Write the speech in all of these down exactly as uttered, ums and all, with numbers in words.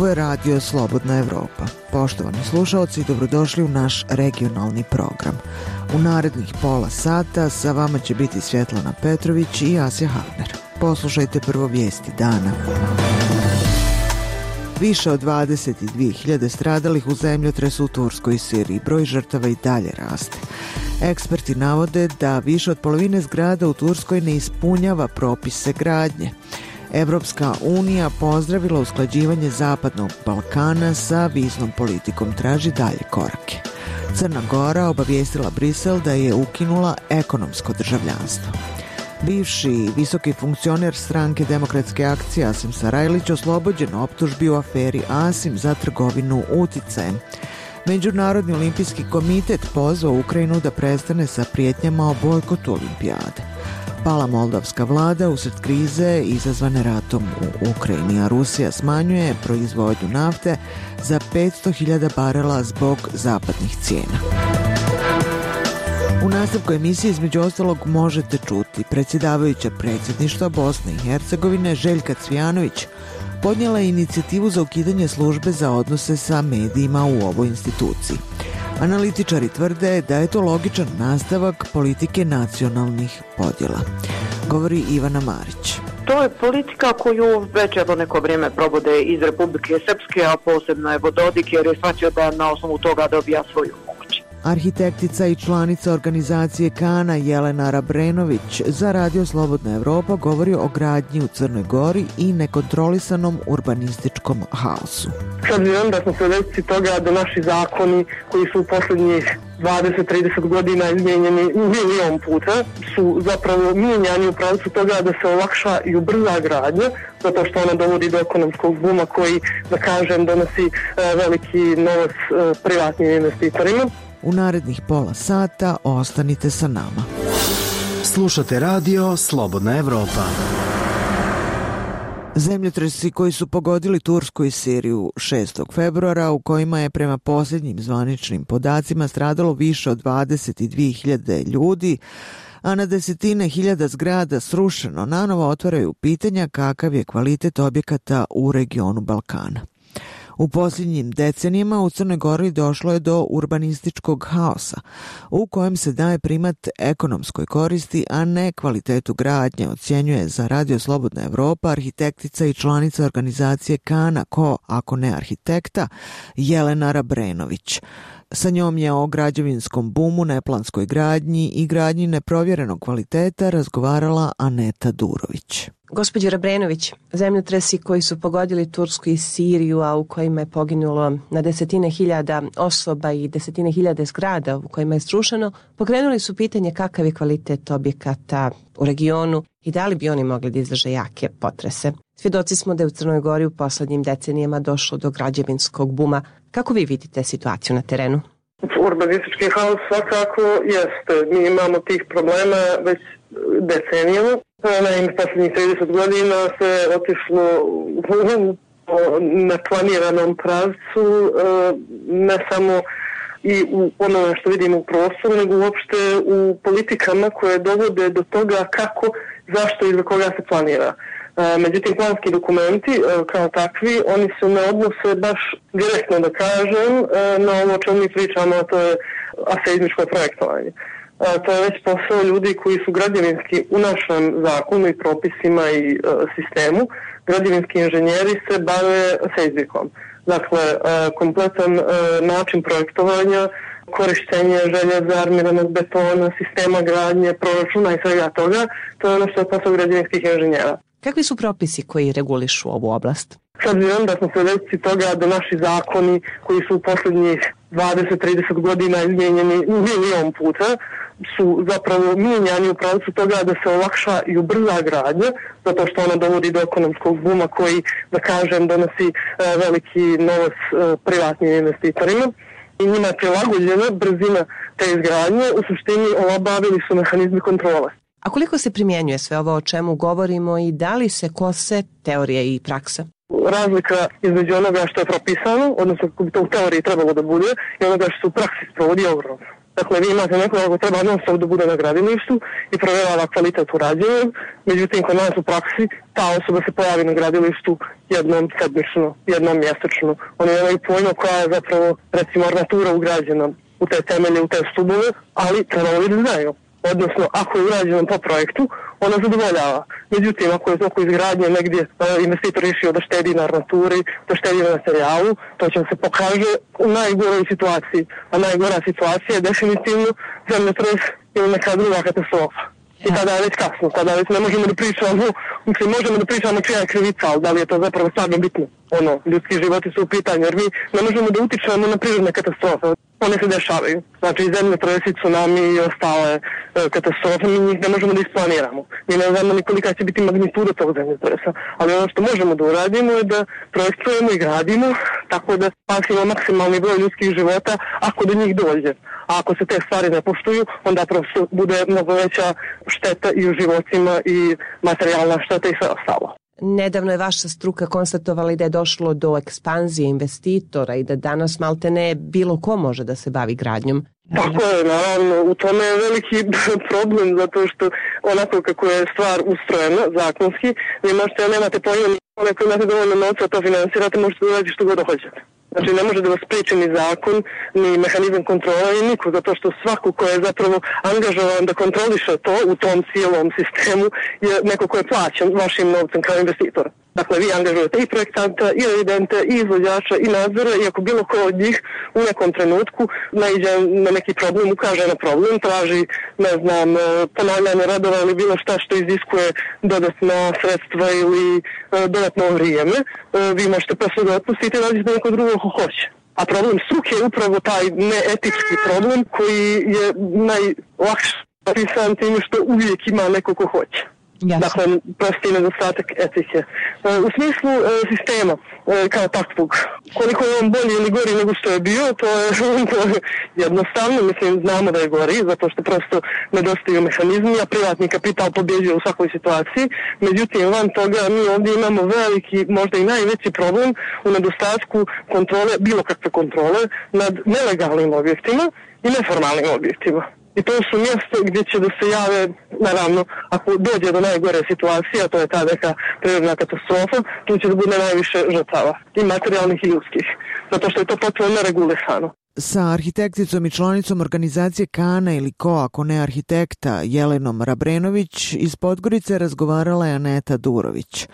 Ovo je radio Slobodna Evropa. Poštovani slušaoci, dobrodošli u naš regionalni program. U narednih pola sata sa vama će biti Svjetlana Petrović i Asja Havner. Poslušajte prvo vijesti dana. Više od dvadeset dvije hiljade stradalih u zemljotresu u Turskoj i Siriji. Broj žrtava i dalje raste. Eksperti navode da više od polovine zgrada u Turskoj ne ispunjava propise gradnje. Evropska unija pozdravila usklađivanje Zapadnog Balkana sa viznom politikom, traži dalje korake. Crna Gora obavijestila Brisel da je ukinula ekonomsko državljanstvo. Bivši visoki funkcioner stranke Demokratske akcije Asim Sarajlić oslobođen optužbi u aferi Asim za trgovinu uticajem. Međunarodni olimpijski komitet pozvao Ukrajinu da prestane sa prijetnjama o bojkotu olimpijade. Pala moldavska vlada usred krize izazvane ratom u Ukrajini, a Rusija smanjuje proizvodnju nafte za petsto hiljada barela zbog zapadnih cijena. U nastavku emisije između ostalog možete čuti predsjedavajuća predsjedništva Bosne i Hercegovine Željka Cvijanović podnijela je inicijativu za ukidanje službe za odnose sa medijima u ovoj instituciji. Analitičari tvrde da je to logičan nastavak politike nacionalnih podjela, govori Ivana Marić. To je politika koju već evo neko vrijeme provode iz Republike Srpske, a posebno je Dodik jer je shvatio da na osnovu toga dobija svoju moć. Arhitektica i članica organizacije Kana Jelena Rabrenović za radio Slobodna Evropa govori o gradnji u Crnoj Gori i nekontrolisanom urbanističkom haosu. S obzirom da smo svjedoci toga da naši zakoni koji su u posljednjih dvadeset do trideset godina izmijenjeni milion puta su zapravo mijenjani u pravcu toga da se olakša i ubrza gradnja, zato što ona dovodi do ekonomskog buma koji, da kažem, donosi e, veliki novac e, privatnim investitorima. U narednih pola sata ostanite sa nama. Slušate radio Slobodna Evropa. Zemljotresi koji su pogodili Tursku i Siriju šestog februara, u kojima je prema posljednjim zvaničnim podacima stradalo više od dvadeset dvije hiljade ljudi, a na desetine hiljada zgrada srušeno, nanovo otvaraju pitanja kakav je kvalitet objekata u regionu Balkana. U posljednjim decenijama u Crnoj Gori došlo je do urbanističkog haosa, u kojem se daje primat ekonomskoj koristi, a ne kvalitetu gradnje, ocjenjuje za radio Slobodna Evropa arhitektica i članica organizacije Kana, ko, ako ne arhitekta, Jelena Rabrenović. Sa njom je o građevinskom bumu, neplanskoj gradnji i gradnji neprovjerenog kvaliteta razgovarala Aneta Durović. Gospođo Rabrenović, zemljotresi koji su pogodili Tursku i Siriju, a u kojima je poginulo na desetine hiljada osoba i desetine hiljade zgrada u kojima je srušeno, pokrenuli su pitanje kakav je kvalitet objekata u regionu i da li bi oni mogli da izdrže jake potrese. Svjedoci smo da je u Crnoj Gori u poslednjim decenijama došlo do građevinskog buma. Kako vi vidite situaciju na terenu? Urbanistički haos svakako jeste. Mi imamo tih problema već decenijama. Naime, posljednjih trideset godina se otišlo u neplaniranom pravcu, ne samo i u onome što vidimo u prostoru, nego uopšte u politikama koje dovode do toga kako, zašto i za koga se planira. Međutim, planski dokumenti kao takvi, oni se ne odnose baš direktno, da kažem, na ovo o čemu mi pričamo, a to je aseizmičko projektovanje. To je već posao ljudi koji su građevinski u našem zakonu i propisima i e, sistemu. Građevinski inženjeri se bave seizmikom. Dakle, e, kompletan e, način projektovanja, korištenje željeza, armiranog betona, sistema gradnje, proračuna i svega toga, to je ono što je posao građevinskih inženjera. Kakvi su propisi koji regulišu ovu oblast? S obzirom da smo svjedoci toga da naši zakoni koji su u posljednjih dvadeset do trideset godina izmijenjeni milion puta su zapravo mijenjani u pravcu toga da se olakša i ubrza gradnja, zato što ona dovodi do ekonomskog buma koji, da kažem, donosi e, veliki novac e, privatnim investitorima i njima je prilagođena brzina te izgradnje, u suštini olabavili su mehanizmi kontrole. A koliko se primjenjuje sve ovo o čemu govorimo i da li se kose teorija i praksa? Razlika između onoga što je propisano, odnosno kako bi to u teoriji trebalo da bude, i onoga što se u praksi sprovodi ogromno. Dakle, vi imate nekoga ko treba non stop da bude na gradilištu i provjerava kvalitet urađenog, međutim, kod nas u praksi ta osoba se pojavi na gradilištu jednom sedmično, jednom mjesečno. Oni nemaju pojma koja je zapravo, recimo, armatura ugrađena u te temelje, u te stubove, ali trebalo da znaju. Odnosno, ako je urađeno po projektu, ona zadovoljava. Međutim, ako je oko izgradnje negdje investitor išao da štedi na armaturi, da štedi na materijalu, to će se pokaže u najgoroj situaciji. A najgora situacija je definitivno zemljotres ili neka druga katastrofa. I tada je već kasno, tada već ne možemo da pričamo, mislim, možemo da pričamo čija je krivica, ali da li je to zapravo stvarno bitno. Ono, ljudski životi su u pitanju, jer mi ne možemo da utičemo na prirodne katastrofe. One se dešavaju. Znači, zemljotresi, tsunami i ostale e, katastrofe, mi njih ne možemo da isplaniramo. Mi ne znamo ni kolika će biti magnituda tog zemljotresa. Ali ono što možemo da uradimo je da projektujemo i gradimo tako da spasimo maksimalni broj ljudskih života ako do njih dođe. A ako se te stvari ne poštuju, onda prosto bude mnogo veća šteta i u životima i materijalna šteta i sve ostalo. Nedavno je vaša struka konstatovala da je došlo do ekspanzije investitora i da danas maltene bilo ko može da se bavi gradnjom. Tako je, naravno, u tome je veliki problem zato što onako kako je stvar ustrojena zakonski, vi možete, nemate pojma, ako imate dovoljno novca to finansirate, možete da radite što god hoćete. Znači ne može da vas spriječi ni zakon, ni mehanizam kontrola i niko, zato što svako ko je zapravo angažovan da kontroliše to u tom cijelom sistemu je neko ko je plaćen vašim novcem kao investitor. Dakle, vi angažujete i projektanta, i revidente, i izvođača, i nadzora, i ako bilo ko od njih u nekom trenutku naiđe na neki problem, ukaže na problem, traži, ne znam, ponavljanje radova ili bilo šta što iziskuje dodatna sredstva ili dodatno vrijeme, vi možete posle da otpustite i nađete neko drugo ko hoće. A problem struke je upravo taj neetički problem koji je najlakše opisan tim što uvijek ima neko ko hoće. Jasne. Dakle, prosti nedostatak etike. U smislu e, sistema e, kao takvog, koliko je on bolji ili gori nego što je bio, to je, to je jednostavno, mislim, znamo da je gori, zato što prosto nedostaju mehanizmi, a privatni kapital pobjeđuje u svakoj situaciji. Međutim, van toga mi ovdje imamo veliki, možda i najveći problem u nedostatku kontrole, bilo kakve kontrole, nad nelegalnim objektima i neformalnim objektima. I to su mjesto gdje će da se jave, naravno, ako dođe do najgore situacije, a to je ta neka prirodna katastrofa, tu će da bude najviše žrtava, i materijalnih i ljudskih, zato što je to potpuno neregulisano. Sa arhitekticom i članicom organizacije Kana ili Ko, ako ne arhitekta, Jelenom Rabrenović, iz Podgorice razgovarala je Aneta Durović.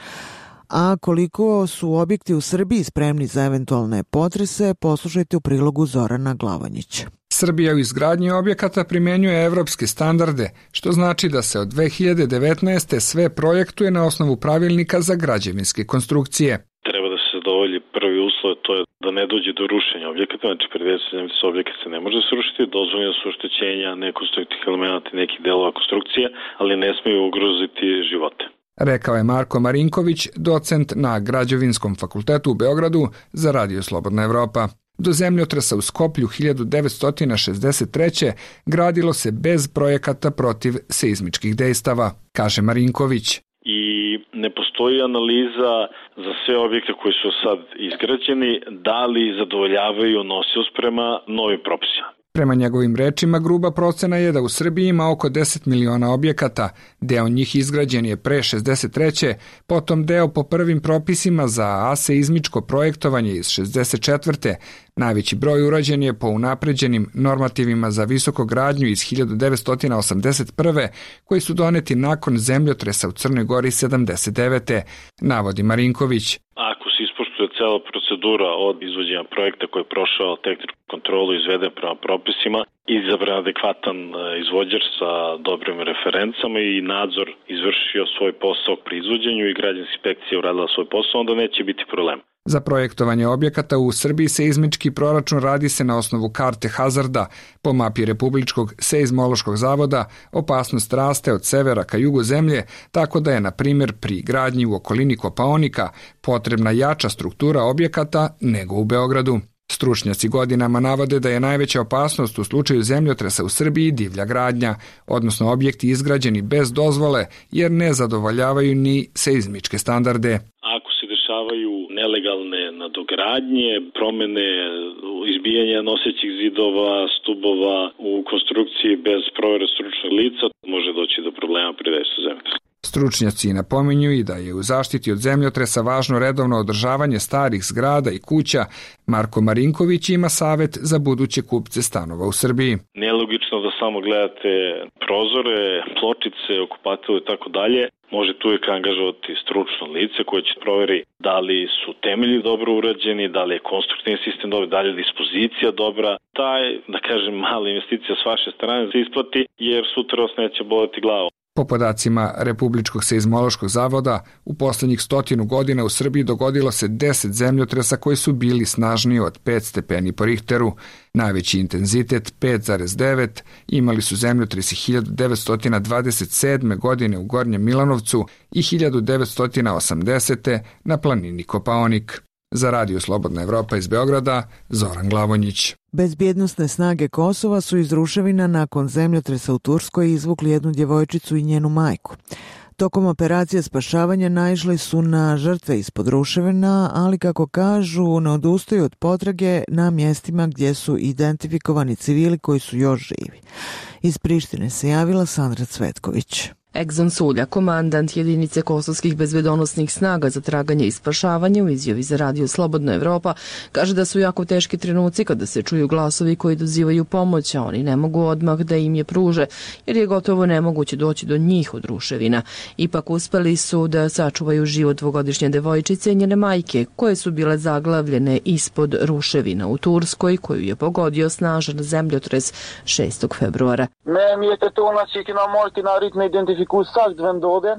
A koliko su objekti u Srbiji spremni za eventualne potrese, poslušajte u prilogu Zorana Glavonjića. Srbija u izgradnji objekata primjenjuje evropske standarde, što znači da se od dve hiljade devetnaeste. sve projektuje na osnovu pravilnika za građevinske konstrukcije. Treba da se zadovolji prvi uslov, to je da ne dođe do rušenja objekata, znači predviđeno se objekat se ne može srušiti, dozvoljeno su oštećenja nekonstruktivnih elemenata i nekih delova konstrukcije, ali ne smiju ugroziti živote. Rekao je Marko Marinković, docent na Građevinskom fakultetu u Beogradu za Radio Slobodna Evropa. Do zemljotresa u Skoplju hiljadu devetsto šezdeset treće. gradilo se bez projekata protiv seizmičkih dejstava, kaže Marinković. I ne postoji analiza za sve objekte koji su sad izgrađeni, da li zadovoljavaju nosioc prema novim propisima. Prema njegovim rečima, gruba procena je da u Srbiji ima oko deset miliona objekata, deo njih izgrađen je pre šezdeset treće. potom deo po prvim propisima za aseizmičko projektovanje iz šezdeset četvrte. Najveći broj urađen je po unapređenim normativima za visokogradnju iz hiljadu devetsto osamdeset prve. koji su doneti nakon zemljotresa u Crnoj Gori sedamdeset devete. navodi Marinković. Ako se ispoštuje cela procedura od izvođenja projekta koji je prošao tehničku kontrolu i izveden prema propisima, izabran adekvatan izvođač sa dobrim referencama i nadzor izvršio svoj posao pri izvođenju i građevinska inspekcija uradila svoj posao, onda neće biti problem. Za projektovanje objekata u Srbiji seizmički proračun radi se na osnovu karte hazarda. Po mapi Republičkog seizmološkog zavoda opasnost raste od severa ka jugu zemlje, tako da je, na primjer, pri gradnji u okolini Kopaonika potrebna jača struktura objekata nego u Beogradu. Stručnjaci godinama navode da je najveća opasnost u slučaju zemljotresa u Srbiji divlja gradnja, odnosno objekti izgrađeni bez dozvole jer ne zadovoljavaju ni seizmičke standarde. Ako se dešavaju nelegalne nadogradnje, promene izbijanja nosećih zidova, stubova u konstrukciji bez provere stručnog lica može doći do problema pri dejstvu zemljotresa. Stručnjaci napominju i da je u zaštiti od zemljotresa važno redovno održavanje starih zgrada i kuća. Marko Marinković ima savet za buduće kupce stanova u Srbiji. Nelogično da samo gledate prozore, pločice, okupatel i tako dalje. Možete uvijek angažovati stručno lice koje će proveri da li su temelji dobro urađeni, da li je konstruktivni sistem dobar, da li je dispozicija dobra. Taj, da kažem, mala investicija s vaše strane se isplati jer sutra vas neće boleti glavu. Po podacima Republičkog seizmološkog zavoda, u poslednjih stotinu godina u Srbiji dogodilo se deset zemljotresa koji su bili snažniji od pet stepeni po Richteru. Najveći intenzitet, pet zarez devet, imali su zemljotresi hiljadu devetsto dvadeset sedme. godine u Gornjem Milanovcu i hiljadu devetsto osamdesete. na planini Kopaonik. Za Radio Slobodna Evropa iz Beograda, Zoran Glavonjić. Bezbjednosne snage Kosova su iz ruševina nakon zemljotresa u Turskoj izvukli jednu djevojčicu i njenu majku. Tokom operacije spašavanja naišli su na žrtve ispod ruševina, ali kako kažu, ne odustaju od potrage na mjestima gdje su identifikovani civili koji su još živi. Iz Prištine se javila Sandra Cvetković. Egzon Sulja, komandant jedinice kosovskih bezbedonosnih snaga za traganje i spašavanje, u izjavi za Radio Slobodna Evropa, kaže da su jako teški trenuci kada se čuju glasovi koji dozivaju pomoć, a oni ne mogu odmah da im je pruže, jer je gotovo nemoguće doći do njih od ruševina. Ipak uspeli su da sačuvaju život dvogodišnje devojčice i njene majke, koje su bile zaglavljene ispod ruševina u Turskoj, koju je pogodio snažan zemljotres šestog februara.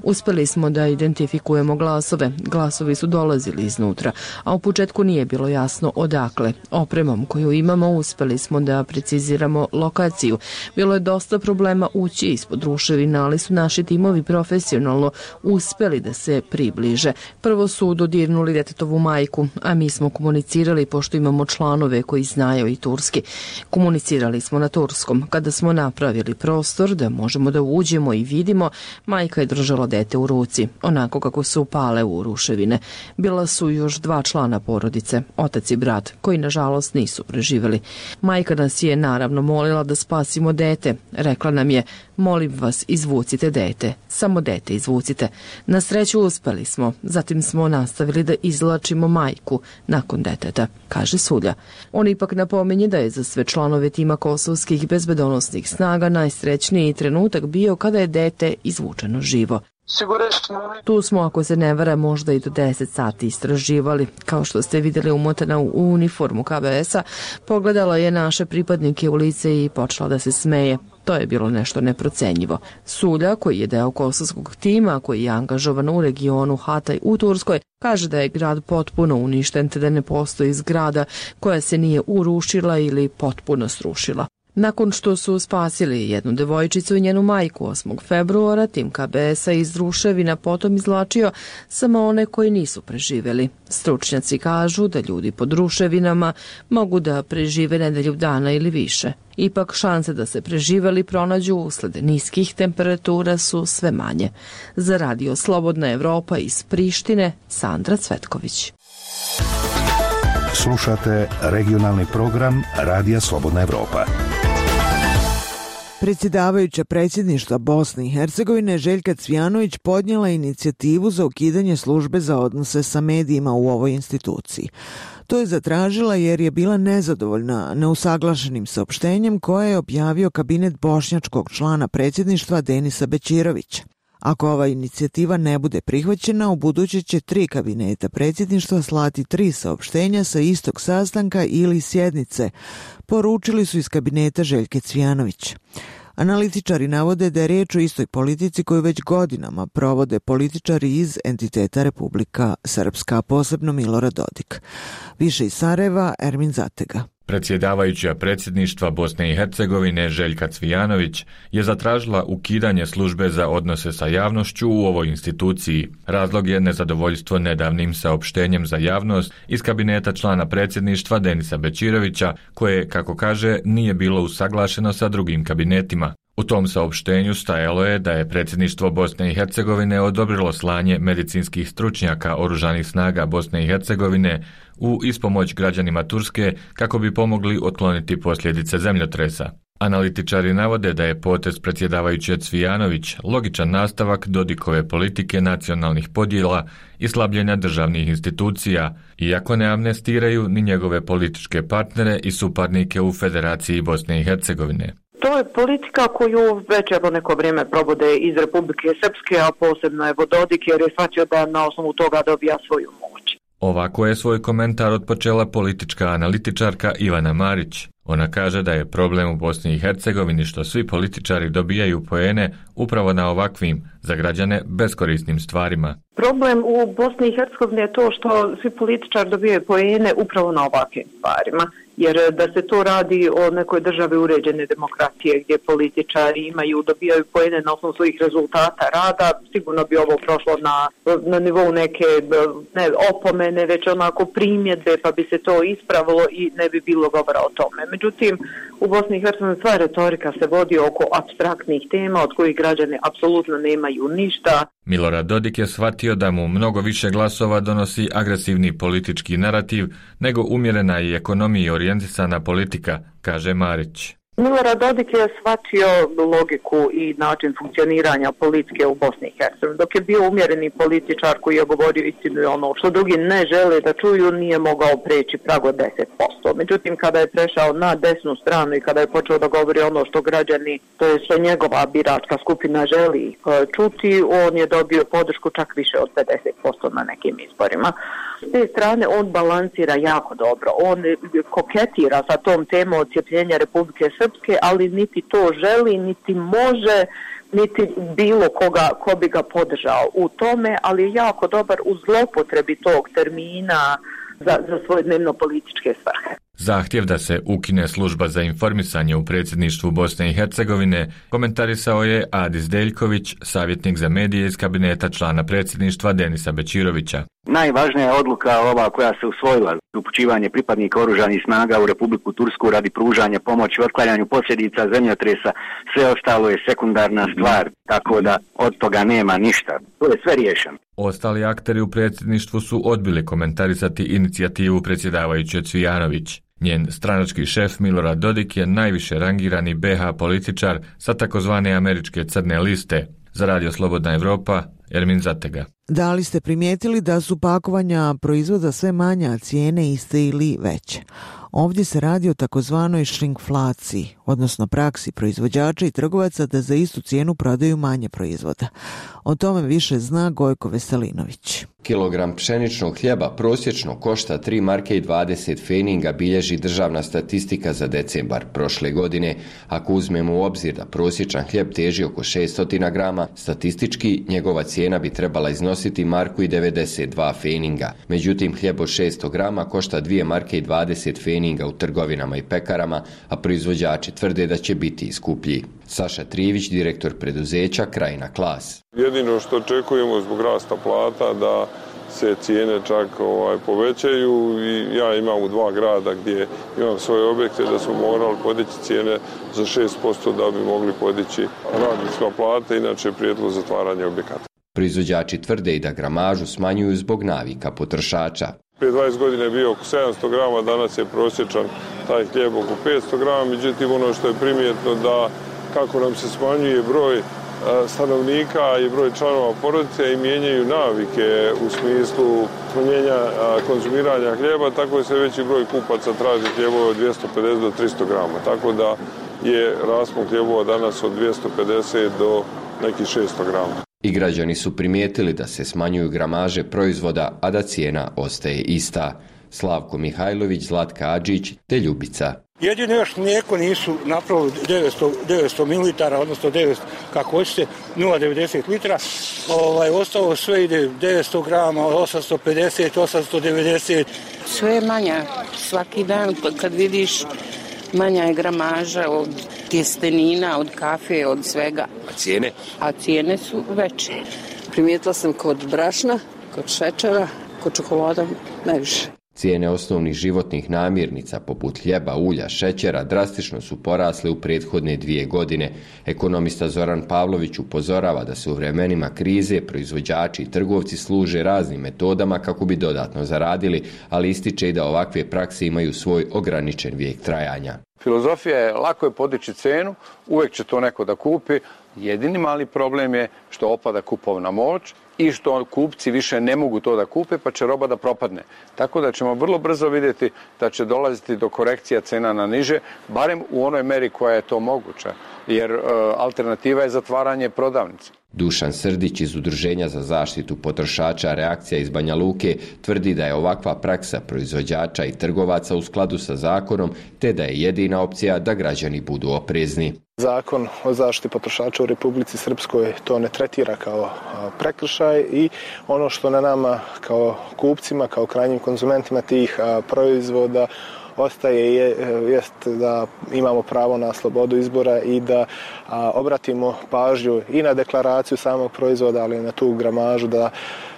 Uspeli smo da identifikujemo glasove. Glasovi su dolazili iznutra, a u početku nije bilo jasno odakle. Opremom koju imamo uspeli smo da preciziramo lokaciju. Bilo je dosta problema ući ispod ruševina, ali su naši timovi profesionalno uspeli da se približe. Prvo su dodirnuli detetovu majku, a mi smo komunicirali pošto imamo članove koji znaju i turski. Komunicirali smo na turskom. Kada smo napravili prostor da možemo da uđemo i vidimo, majka je držala dete u ruci, onako kako su pale u ruševine. Bila su još dva člana porodice, otac i brat, koji nažalost nisu preživeli. Majka nas je naravno molila da spasimo dete. Rekla nam je, molim vas, izvucite dete. Samo dete izvucite. Na sreću uspeli smo. Zatim smo nastavili da izvlačimo majku nakon deteta, kaže Sulja. On ipak napominje da je za sve članove tima kosovskih bezbedonosnih snaga najsrećniji trenutak bio kada je dete izvučeno živo. Tu smo, ako se ne vara, možda i do deset sati istraživali. Kao što ste vidjeli, umotana u uniformu K B S-a, pogledala je naše pripadnike u lice i počela da se smeje. To je bilo nešto neprocenjivo. Sulja, koji je deo kosovskog tima, koji je angažovan u regionu Hatay u Turskoj, kaže da je grad potpuno uništen te da ne postoji zgrada koja se nije urušila ili potpuno srušila. Nakon što su spasili jednu devojčicu i njenu majku osmog februara, tim K B S-a iz ruševina potom izvlačio samo one koji nisu preživjeli. Stručnjaci kažu da ljudi pod ruševinama mogu da prežive nedelju dana ili više. Ipak šanse da se preživeli pronađu usled niskih temperatura su sve manje. Za Radio Slobodna Evropa iz Prištine, Sandra Cvetković. Slušate regionalni program Radija Slobodna Evropa. Predsjedavajuća predsjedništva Bosne i Hercegovine Željka Cvijanović podnijela inicijativu za ukidanje službe za odnose sa medijima u ovoj instituciji. To je zatražila jer je bila nezadovoljna neusaglašenim saopštenjem koje je objavio kabinet bošnjačkog člana predsjedništva Denisa Bećirovića. Ako ova inicijativa ne bude prihvaćena, u buduće će tri kabineta predsjedništva slati tri saopštenja sa istog sastanka ili sjednice, poručili su iz kabineta Željke Cvijanović. Analitičari navode da je riječ o istoj politici koju već godinama provode političari iz entiteta Republika Srpska, posebno Milorad Dodik. Više iz Sarajeva, Ermin Zatega. Predsjedavajuća predsjedništva Bosne i Hercegovine Željka Cvijanović je zatražila ukidanje službe za odnose sa javnošću u ovoj instituciji. Razlog je nezadovoljstvo nedavnim saopštenjem za javnost iz kabineta člana predsjedništva Denisa Bećirovića, koje, kako kaže, nije bilo usaglašeno sa drugim kabinetima. U tom saopštenju stajalo je da je predsjedništvo Bosne i Hercegovine odobrilo slanje medicinskih stručnjaka Oružanih snaga Bosne i Hercegovine u ispomoć građanima Turske kako bi pomogli otkloniti posljedice zemljotresa. Analitičari navode da je potez predsjedavajuće Cvijanović logičan nastavak Dodikove politike nacionalnih podjela i slabljenja državnih institucija, iako ne amnestiraju ni njegove političke partnere i suparnike u Federaciji Bosne i Hercegovine. To je politika koju već evo neko vrijeme provode iz Republike Srpske, a posebno evo Dodik, jer je shvatio da na osnovu toga dobija svoju moć. Ovako je svoj komentar odpočela politička analitičarka Ivana Marić. Ona kaže da je problem u Bosni i Hercegovini što svi političari dobijaju poene upravo na ovakvim, za građane, beskorisnim stvarima. Problem u Bosni i Hercegovini je to što svi političari dobijaju poene upravo na ovakvim stvarima. Jer da se to radi o nekoj državi uređene demokratije gdje političari imaju, dobijaju poene na osnovu svojih rezultata rada, sigurno bi ovo prošlo na, na nivou neke ne, opomene, već onako primjedbe, pa bi se to ispravilo i ne bi bilo govora o tome. Međutim, u Bosni i Hercegovini sva retorika se vodi oko apstraktnih tema od kojih građani apsolutno nemaju ništa. Milorad Dodik je shvatio da mu mnogo više glasova donosi agresivni politički narativ nego umjerena i ekonomiji orijentisana politika, kaže Marić. Milorad Dodik je shvatio logiku i način funkcioniranja politike u Bosni i Hercegovini. Dok je bio umjereni političar koji je govorio istinu i ono što drugi ne žele da čuju, nije mogao preći prag od deset posto. Međutim, kada je prešao na desnu stranu i kada je počeo da govori ono što građani, to je što njegova biračka skupina želi čuti, on je dobio podršku čak više od pedeset posto na nekim izborima. S te strane on balansira jako dobro. On koketira sa tom temom odcijepljenja Republike Srpske, ali niti to želi, niti može, niti bilo koga ko bi ga podržao u tome, ali je jako dobar u zlopotrebi tog termina za, za svoje dnevno političke svrhe. Zahtjev da se ukine služba za informisanje u predsjedništvu Bosne i Hercegovine komentarisao je Adis Deljković, savjetnik za medije iz kabineta člana predsjedništva Denisa Bećirovića. Najvažnija je odluka ova koja se usvojila, upućivanje pripadnika oružanih snaga u Republiku Tursku radi pružanja pomoći u otklanjanju posljedica zemljotresa. Sve ostalo je sekundarna stvar, tako da od toga nema ništa. To je sve riješeno. Ostali akteri u predsjedništvu su odbili komentarisati inicijativu predsjedavajuće Cvijanović. Njen stranački šef Milorad Dodik je najviše rangirani be ha političar sa takozvane američke crne liste. Za Radio Slobodna Evropa, Ermin Zatega. Da li ste primijetili da su pakovanja proizvoda sve manja, cijene iste ili veće? Ovdje se radi o takozvanoj šrinkflaciji, odnosno praksi proizvođača i trgovaca da za istu cijenu prodaju manje proizvoda. O tome više zna Gojko Veselinović. Kilogram pšeničnog hljeba prosječno košta tri marke i dvadeset feninga, bilježi državna statistika za decembar prošle godine. Ako uzmemo u obzir da prosječan hljeb teži oko šesto grama, statistički njegova cijena bi trebala iznositi marku i devedeset dva feninga. Međutim, hljeb od šesto grama košta dvije marke i dvadeset feninga u trgovinama i pekarama, a proizvođači tvrde da će biti skuplji. Saša Trijević, direktor preduzeća Krajina Klas. Jedino što očekujemo zbog rasta plata da se cijene čak ovaj, povećaju i ja imam u dva grada gdje imam svoje objekte da smo morali podići cijene za šest posto da bi mogli podići radnička plata, inače prijedlog zatvaranja objekata. Proizvođači tvrde i da gramažu smanjuju zbog navika potrošača. Prije dvadeset godina je bio oko sedamsto grama, danas je prosječan taj hljeb oko petsto grama, međutim ono što je primjetno da kako nam se smanjuje broj stanovnika i broj članova porodice i mijenjaju navike u smislu smanjenja konzumiranja hljeba, tako se veći broj kupaca traži hljebova od dvjesto pedeset do tristo grama, tako da je raspon hljebova danas od dvjesto pedeset do nekih šesto grama. I građani su primijetili da se smanjuju gramaže proizvoda, a da cijena ostaje ista. Slavko Mihajlović, Zlatka Adžić te Ljubica. Jedino još mlijeko nisu napravili devetsto mililitara, odnosno devetsto, kako hoćete, nula zarez devedeset litra. Ovaj, ostalo sve ide devetsto grama, osamsto pedeset, osamsto devedeset. Sve je manja. Svaki dan kad vidiš manja je gramaža od tjestenina, od kafe, od svega. A cijene? A cijene su veće. Primijetila sam kod brašna, kod šećera, kod čokolada najviše. Cijene osnovnih životnih namirnica poput hljeba, ulja, šećera drastično su porasle u prethodne dvije godine. Ekonomista Zoran Pavlović upozorava da se u vremenima krize proizvođači i trgovci služe raznim metodama kako bi dodatno zaradili, ali ističe i da ovakve prakse imaju svoj ograničen vijek trajanja. Filozofija je lako je podići cenu, uvijek će to neko da kupi. Jedini mali problem je što opada kupovna moć i što kupci više ne mogu to da kupe, pa će roba da propadne. Tako da ćemo vrlo brzo vidjeti da će dolaziti do korekcija cena na niže, barem u onoj meri koja je to moguća, jer e, alternativa je zatvaranje prodavnice. Dušan Srdić iz Udruženja za zaštitu potrošača Reakcija iz Banja Luke tvrdi da je ovakva praksa proizvođača i trgovaca u skladu sa zakonom, te da je jedina opcija da građani budu oprezni. Zakon o zaštiti potrošača u Republici Srpskoj to ne tretira kao prekršaj i ono što na nama kao kupcima, kao krajnjim konzumentima tih proizvoda ostaje je, jest da imamo pravo na slobodu izbora i da a, obratimo pažnju i na deklaraciju samog proizvoda, ali i na tu gramažu da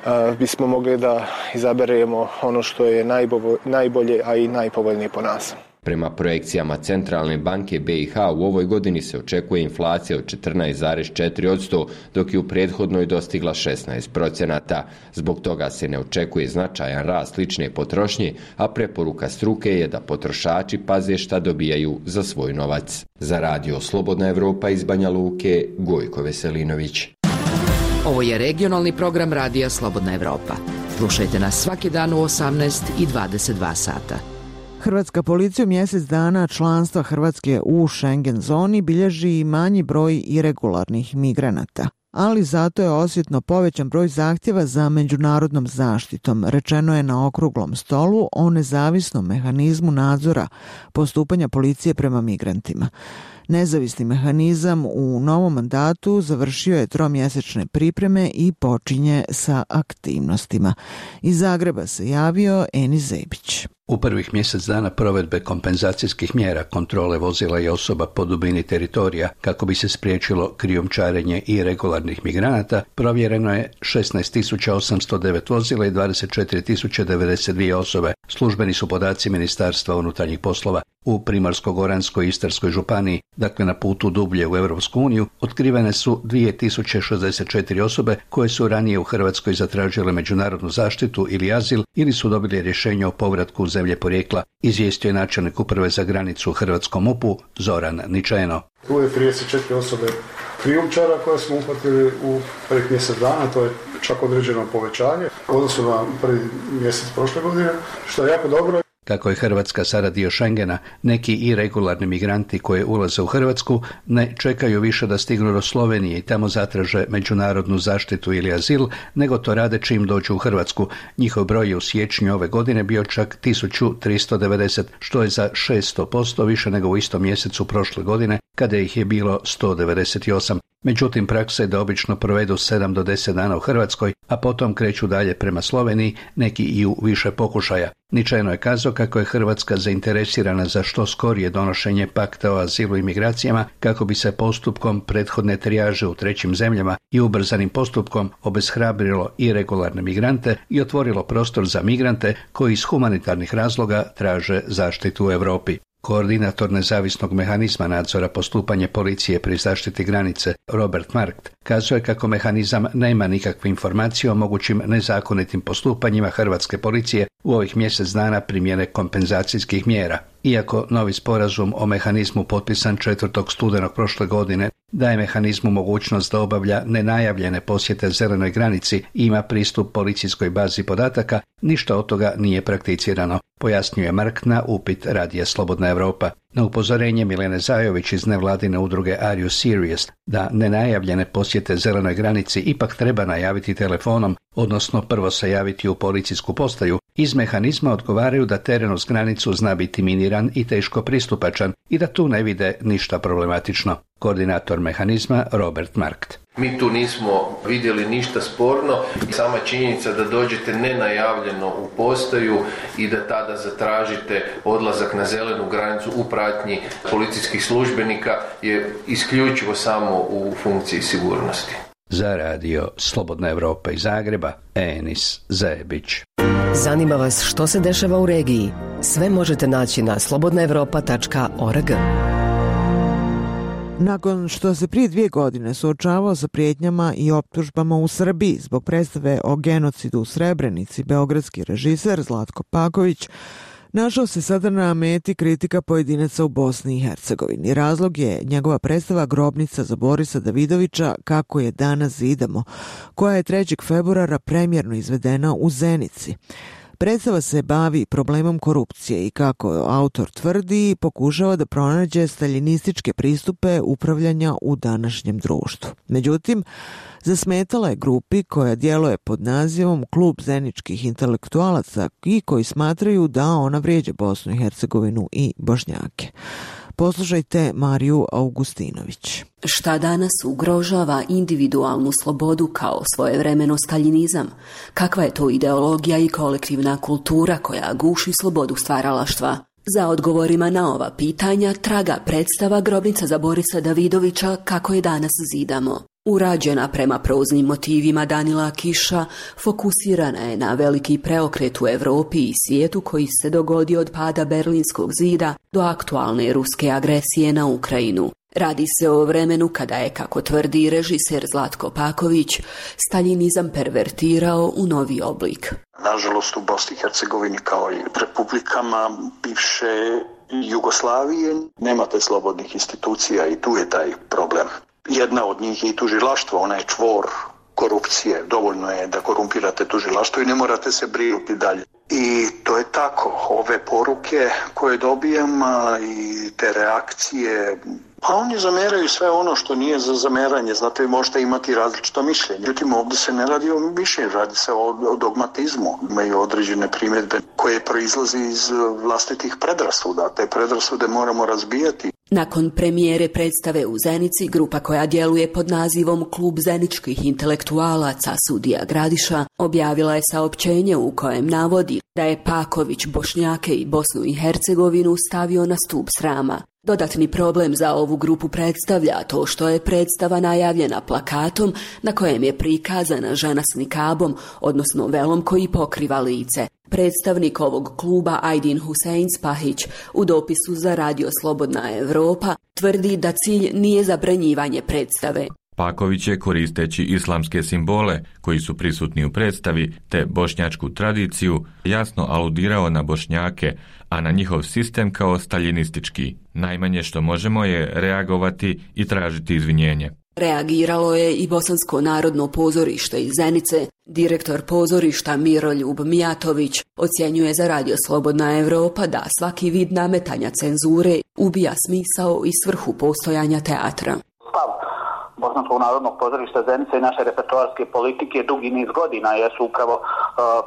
a, bismo mogli da izaberemo ono što je najbolje, najbolje, a i najpovoljnije po nas. Prema projekcijama Centralne banke B i H u ovoj godini se očekuje inflacija od četrnaest zarez četiri posto, dok je u prethodnoj dostigla šesnaest procenata. Zbog toga se ne očekuje značajan rast lične potrošnje, a preporuka struke je da potrošači paze šta dobijaju za svoj novac. Za radio Slobodna Evropa iz Banja Luke, Gojko Veselinović. Ovo je regionalni program radija Slobodna Evropa. Slušajte nas svaki dan u osamnaest i dvadeset dva sata. Hrvatska policija u mjesec dana članstva Hrvatske u Schengen zoni bilježi i manji broj iregularnih migranata, ali zato je osjetno povećan broj zahtjeva za međunarodnom zaštitom, rečeno je na okruglom stolu o nezavisnom mehanizmu nadzora postupanja policije prema migrantima. Nezavisni mehanizam u novom mandatu završio je tromjesečne pripreme i počinje sa aktivnostima. Iz Zagreba se javio Enis Zebić. U prvih mjesec dana provedbe kompenzacijskih mjera kontrole vozila i osoba po dubini teritorija kako bi se spriječilo krijumčarenje i regularnih migranata, provjereno je šesnaest tisuća osamsto devet vozila i dvadeset četiri tisuće devedeset dvije osobe. Službeni su podaci Ministarstva unutarnjih poslova. U Primorsko-goranskoj i Istarskoj županiji, dakle na putu dublje u Europsku uniju, otkrivene su dvije tisuće šezdeset četiri osobe koje su ranije u Hrvatskoj zatražile međunarodnu zaštitu ili azil ili su dobili rješenje o povratku u zemlje porijekla, izvijestio je načelnik uprave za granicu u hrvatskom M U P-u Zoran Ničeno. Tu je trideset četiri osobe krijumčara koje smo uhvatili u prvih mjesec dana, to je čak određeno povećanje u odnosu na prvi mjesec prošle godine, što je jako dobro. Kako je Hrvatska sada dio Schengena, neki iregularni migranti koji ulaze u Hrvatsku ne čekaju više da stignu do Slovenije i tamo zatraže međunarodnu zaštitu ili azil, nego to rade čim dođu u Hrvatsku. Njihov broj je u siječnju ove godine bio čak tisuću tristo devedeset, što je za šesto posto više nego u istom mjesecu prošle godine, kada ih je bilo sto devedeset osam. Međutim, praksa je da obično provedu sedam do deset dana u Hrvatskoj, a potom kreću dalje prema Sloveniji, neki i u više pokušaja. Ničajno je kazao kako je Hrvatska zainteresirana za što skorije donošenje pakta o azilu i migracijama, kako bi se postupkom prethodne trijaže u trećim zemljama i ubrzanim postupkom obeshrabrilo iregularne migrante i otvorilo prostor za migrante koji iz humanitarnih razloga traže zaštitu u Europi. Koordinator nezavisnog mehanizma nadzora postupanja policije pri zaštiti granice Robert Markt kazuje kako mehanizam nema nikakve informacije o mogućim nezakonitim postupanjima hrvatske policije u ovih mjesec dana primjene kompenzacijskih mjera. Iako novi sporazum o mehanizmu potpisan četvrtog studenog prošle godine daje mehanizmu mogućnost da obavlja nenajavljene posjete zelenoj granici i ima pristup policijskoj bazi podataka, ništa od toga nije prakticirano, pojasnjuje Mark na upit radija Slobodna Evropa. Na upozorenje Milene Zajović iz nevladine udruge Are You Serious da nenajavljene posjete zelenoj granici ipak treba najaviti telefonom, odnosno prvo se javiti u policijsku postaju, iz mehanizma odgovaraju da teren uz granicu zna biti miniran i teško pristupačan i da tu ne vide ništa problematično. Koordinator mehanizma Robert Markt. Mi tu nismo vidjeli ništa sporno i sama činjenica da dođete nenajavljeno u postaju i da tada zatražite odlazak na zelenu granicu u pratnji policijskih službenika je isključivo samo u funkciji sigurnosti. Za radio Slobodna Evropa iz Zagreba, Enis Zebić. Zanima vas što se dešava u regiji? Sve možete naći na slobodna evropa tačka org. Nakon što se prije dvije godine suočavao sa prijetnjama i optužbama u Srbiji zbog predstave o genocidu u Srebrenici, beogradski režiser Zlatko Paković našao se sada na meti kritika pojedinaca u Bosni i Hercegovini. Razlog je njegova predstava Grobnica za Borisa Davidovića Kako je danas zidamo, koja je trećeg februara premjerno izvedena u Zenici. Predstava se bavi problemom korupcije i, kako autor tvrdi, pokušava da pronađe staljinističke pristupe upravljanja u današnjem društvu. Međutim, zasmetala je grupi koja djeluje pod nazivom Klub zeničkih intelektualaca i koji smatraju da ona vrijeđa Bosnu i Hercegovinu i Bošnjake. Poslušajte Mariju Augustinović. Šta danas ugrožava individualnu slobodu kao svojevremeno staljinizam? Kakva je to ideologija i kolektivna kultura koja guši slobodu stvaralaštva? Za odgovorima na ova pitanja traga predstava Grobnica za Borisa Davidovića Kako je danas zidamo. Urađena prema proznim motivima Danila Kiša, fokusirana je na veliki preokret u Europi i svijetu koji se dogodio od pada Berlinskog zida do aktualne ruske agresije na Ukrajinu. Radi se o vremenu kada je, kako tvrdi režiser Zlatko Paković, staljinizam pervertirao u novi oblik. Nažalost, u Bosni i Hercegovini kao i republikama bivše Jugoslavije nemate slobodnih institucija i tu je taj problem. Jedna od njih je i tužilaštvo, ona je čvor korupcije. Dovoljno je da korumpirate tužilaštvo i ne morate se brinuti dalje. I to je tako. Ove poruke koje dobijam i te reakcije, pa oni zameraju sve ono što nije za zameranje. Znate, vi možete imati različito mišljenje. Međutim, ovdje se ne radi o mišljenju, radi se o, o dogmatizmu. Imaju određene primjedbe koje proizlaze iz vlastitih predrasuda. Te predrasude moramo razbijati. Nakon premijere predstave u Zenici, grupa koja djeluje pod nazivom Klub zeničkih intelektualaca Sudija Gradiša objavila je saopćenje u kojem navodi da je Paković Bošnjake i Bosnu i Hercegovinu stavio na stup srama. Dodatni problem za ovu grupu predstavlja to što je predstava najavljena plakatom na kojem je prikazana žena s nikabom, odnosno velom koji pokriva lice. Predstavnik ovog kluba Ajdin Husein Spahić u dopisu za radio Slobodna Evropa tvrdi da cilj nije zabranjivanje predstave. Paković je, koristeći islamske simbole koji su prisutni u predstavi te bošnjačku tradiciju, jasno aludirao na Bošnjake, a na njihov sistem kao staljinistički. Najmanje što možemo je reagovati i tražiti izvinjenje. Reagiralo je i Bosansko narodno pozorište iz Zenice. Direktor pozorišta Miroljub Mijatović ocjenjuje za radio Slobodna Evropa da svaki vid nametanja cenzure ubija smisao i svrhu postojanja teatra. Bosanskog narodnog pozorišta Zenice i naše repertoarske politike dugi niz godina jesu upravo uh,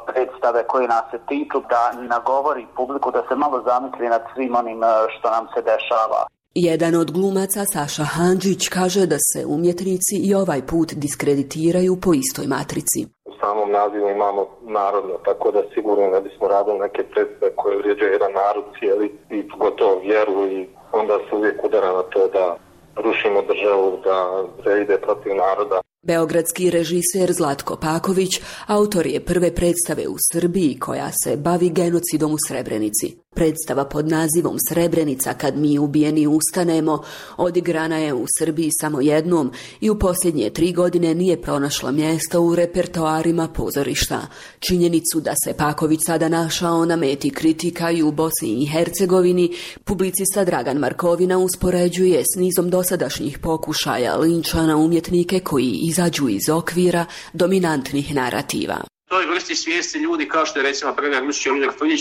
predstave koje nas se tiču, da nagovori publiku da se malo zamisli nad svim onim uh, što nam se dešava. Jedan od glumaca, Saša Handžić, kaže da se umjetnici i ovaj put diskreditiraju po istoj matrici. U samom nazivu imamo narodno, tako da sigurno ne bismo radili neke predstave koje vrijeđaju jedan narod cijeli i gotovo vjeru i onda se uvijek udara na to da rušimo državu, da se ide protiv naroda. Beogradski režiser Zlatko Paković autor je prve predstave u Srbiji koja se bavi genocidom u Srebrenici. Predstava pod nazivom Srebrenica kad mi ubijeni ustanemo odigrana je u Srbiji samo jednom i u posljednje tri godine nije pronašla mjesta u repertoarima pozorišta. Činjenicu da se Paković sada našao na meti kritika i u Bosni i Hercegovini, publicista Dragan Markovina uspoređuje s nizom dosadašnjih pokušaja linča na umjetnike koji izađu iz okvira dominantnih narativa. Toj vrsti svijesti ljudi kao što je recimo Predrag Lučić i Oliver Frljić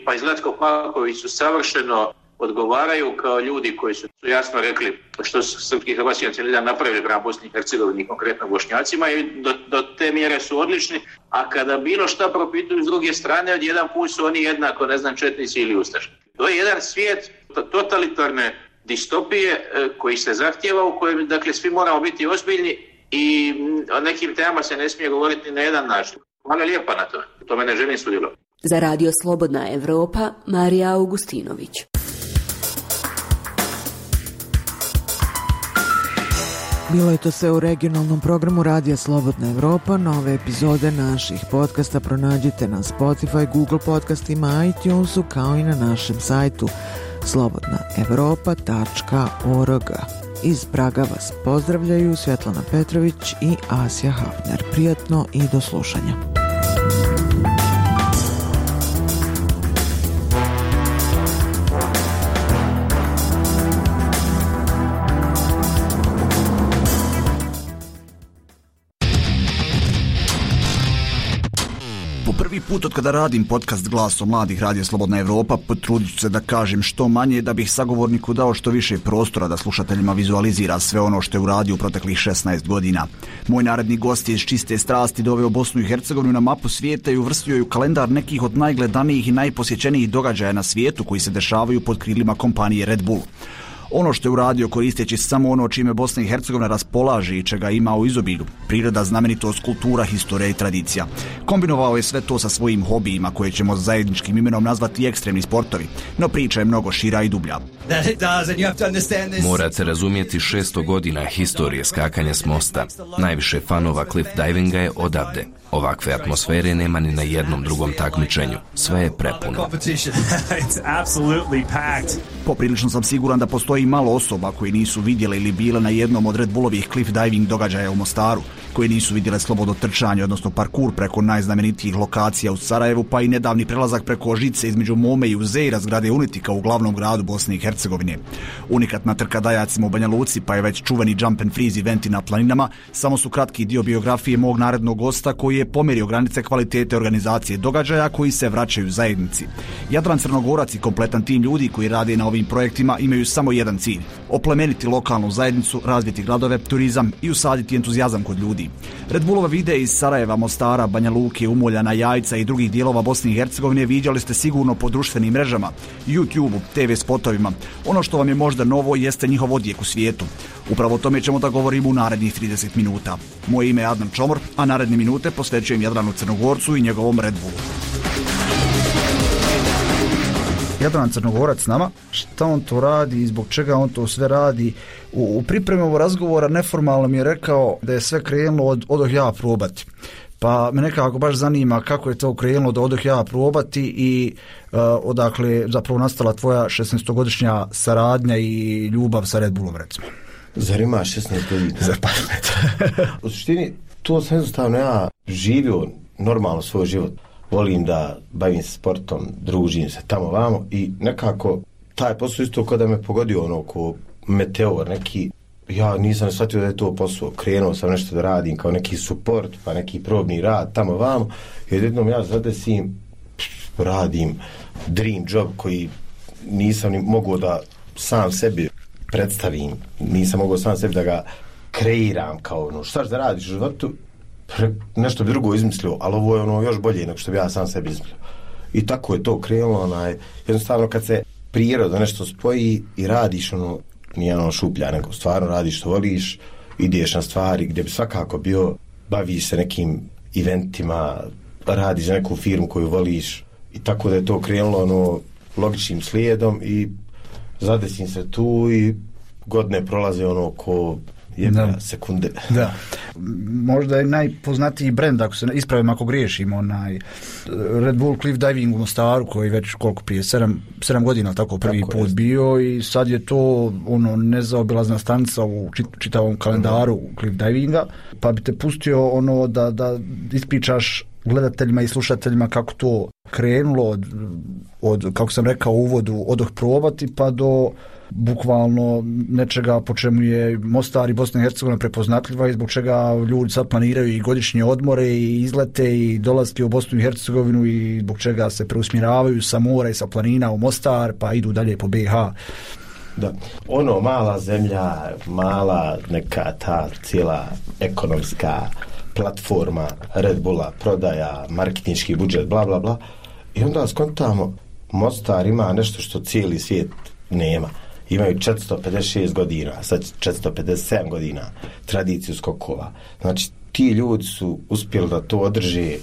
pa i Zlatko Paković su savršeno odgovaraju kao ljudi koji su jasno rekli što su srpski i hrvatski nacionalizam napravili prema Bosni i Hercegovini, konkretno Bošnjacima, i do, do te mjere su odlični, a kada bilo šta propituju s druge strane, odjedan put su oni jednako, ne znam, četnici ili ustaši. To je jedan svijet totalitarne distopije koji se zahtjeva, u kojem dakle svi moramo biti ozbiljni i o nekim temama se ne smije govoriti na jedan način. Hvala lijepa na to. To me ne želim sudjelovati. Za radio Slobodna Evropa, Marija Augustinović. Bilo je to sve u regionalnom programu Radija Slobodna Evropa. Nove epizode naših podcasta pronađite na Spotify, Google podcastima, iTunesu, kao i na našem sajtu slobodna evropa tačka org. Iz Praga vas pozdravljaju Svjetlana Petrović i Asja Hafner. Prijatno i do slušanja. Prvi put od kada radim podcast Glasom mladih Radija Slobodna Evropa, potrudit ću se da kažem što manje, da bih sagovorniku dao što više prostora da slušateljima vizualizira sve ono što je uradio u proteklih šesnaest godina. Moj naredni gost je iz čiste strasti doveo Bosnu i Hercegovinu na mapu svijeta i uvrstio je u kalendar nekih od najgledanijih i najposjećenijih događaja na svijetu koji se dešavaju pod krilima kompanije Red Bull. Ono što je uradio koristeći samo ono čime Bosna i Hercegovina raspolaže i čega ima u izobilju, priroda, znamenitost, kultura, historija i tradicija. Kombinovao je sve to sa svojim hobijima koje ćemo zajedničkim imenom nazvati ekstremni sportovi, no priča je mnogo šira i dublja. Morate razumjeti šesto godina historije skakanja s mosta. Najviše fanova cliff divinga je odavde. Ovakve atmosfere nema ni na jednom drugom takmičenju. Sve je prepuno. Poprilično sam siguran da postoji malo osoba koji nisu vidjele ili bile na jednom od Red Bullovih cliff diving događaja u Mostaru, koji nisu vidjele slobodno trčanje, odnosno parkur preko najznamenitijih lokacija u Sarajevu, pa i nedavni prelazak preko žice između Mome i Uzeira, zgrade Unitika u glavnom gradu Bosne i Hercegovine. Unikatna trka dajacima u Banja Luci, pa je već čuveni jump and freeze eventi na planinama, samo su kratki dio biografije mog narednog gosta koji je pomerio granice kvalitete organizacije događaja koji se vraćaju zajednici. Jadran Crnogorac i kompletan tim ljudi koji rade na ovim projektima imaju samo jedan cilj: oplemeniti lokalnu zajednicu, razviti gradove, turizam i usaditi entuzijazam kod ljudi. Red Bullova videe iz Sarajeva, Mostara, Banja Luke, Umoljana, Jajca i drugih dijelova Bosne i Hercegovine viđali ste sigurno po društvenim mrežama, YouTube-u, te ve spotovima. Ono što vam je možda novo jeste njihov odjek u svijetu. Upravo o tome ćemo da govorimo u narednih trideset minuta. Moje ime je Adnan Čomor, a naredne minute posvećujem Jadranu Crnogorcu i njegovom Red Bullu. Jadran Crnogorac s nama, šta on to radi i zbog čega on to sve radi. U, u pripremi ovog razgovora neformalno mi je rekao da je sve krenulo od odoh ja probati. Pa me nekako baš zanima kako je to krenulo da odoh ja probati i uh, odakle zapravo nastala tvoja šesnaestogodišnja saradnja i ljubav sa Red Bullom, recimo. Zar ima šesnaest godina? Zar pa u suštini, to sam jednostavno ja živio normalno svoj život. Volim da bavim se sportom, družim se tamo vamo i nekako taj posao isto kada me pogodio ono ko meteor neki, ja nisam shvatio da je to posao. Krenuo sam nešto da radim kao neki support, pa neki probni rad tamo vamo i jednom ja zadesim, radim dream job koji nisam ni mogao da sam sebi predstavim, nisam mogao sam sebi da ga kreiram kao ono, šta da radiš u životu, nešto bi drugo izmislio, ali ovo je ono još bolje nego što bi ja sam sebi izmislio. I tako je to krenulo, onaj, jednostavno kad se priroda nešto spoji i radiš ono, nije ono šuplja, nego stvarno radiš što voliš, ideš na stvari gdje bi svakako bio, baviš se nekim eventima, radiš za neku firmu koju voliš i tako da je to krenulo ono, logičnim slijedom i zadesim se tu i godine prolaze ono ko jedna sekunde. Da. Možda je najpoznatiji brend, ako se ispravim ako griješim, onaj Red Bull Cliff Diving u Mostaru koji već koliko prije sedam, sedam godina tako prvi tako put je bio i sad je to ono nezaobilazna stanica u čitavom kalendaru mm. Cliff Divinga, pa bi te pustio ono da, da ispričaš gledateljima i slušateljima kako to krenulo od, od kako sam rekao u uvodu, odoh probati pa do bukvalno nečega po čemu je Mostar i Bosna i Hercegovina prepoznatljiva i zbog čega ljudi sad planiraju i godišnje odmore i izlete i dolaske u Bosnu i Hercegovinu i zbog čega se preusmjeravaju sa mora i sa planina u Mostar pa idu dalje po be i ha. Da. Ono, mala zemlja, mala neka ta cijela ekonomska platforma Red Bulla, prodaja, marketinški budžet, bla bla bla. I onda skontamo, Mostar ima nešto što cijeli svijet nema. Imaju četiristo pedeset šest godina, sad četiristo pedeset sedam godina tradiciju skokova. Znači, ti ljudi su uspjeli da to održe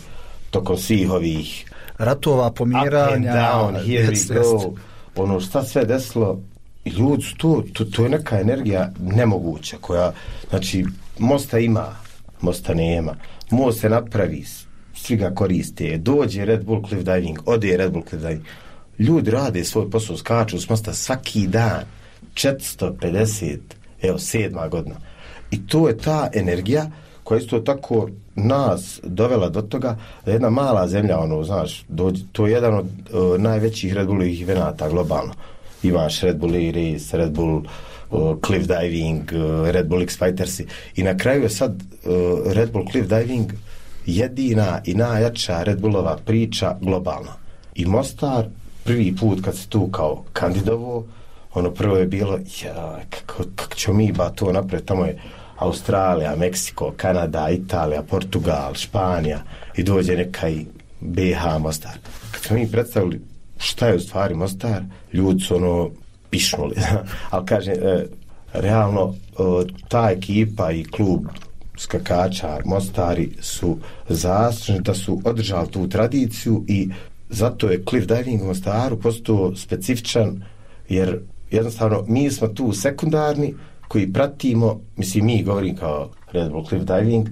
tokom svih ovih ratova, pomiranja, up and down, here we go. Ono šta sve desilo, i ljudi su to, to, to je neka energija nemoguća koja, znači, Mosta ima, Mosta nema, Most se napravi, svi ga koriste, dođe Red Bull Cliff Diving, ode Red Bull Cliff Diving, ljudi rade svoj posao, skaču s mosta svaki dan, četiristo pedeset, evo, sedma godina. I to je ta energija koja isto tako nas dovela do toga da jedna mala zemlja, ono, znaš, dođe, to je jedan od uh, najvećih Red Bullovih evenata globalno. Imaš Red Bull Race, Red Bull uh, Cliff Diving, uh, Red Bull X-Fighters i na kraju je sad uh, Red Bull Cliff Diving jedina i najjača Red Bullova priča globalno. I Mostar prvi put kad se tu kao kandidovo, ono prvo je bilo, ja, kako, kako ćemo mi ba to napraviti, tamo je Australija, Meksiko, Kanada, Italija, Portugal, Španija i dođe neka i B H Mostar. Kad smo mi predstavili šta je u stvari Mostar, ljudi su ono pišnuli. Ali kažem, e, realno e, ta ekipa i klub skakača Mostari su zaslužni da su održali tu tradiciju i zato je cliff diving u Mostaru postao specifičan, jer jednostavno mi smo tu sekundarni koji pratimo, mislim mi govorim kao Red Bull Cliff Diving,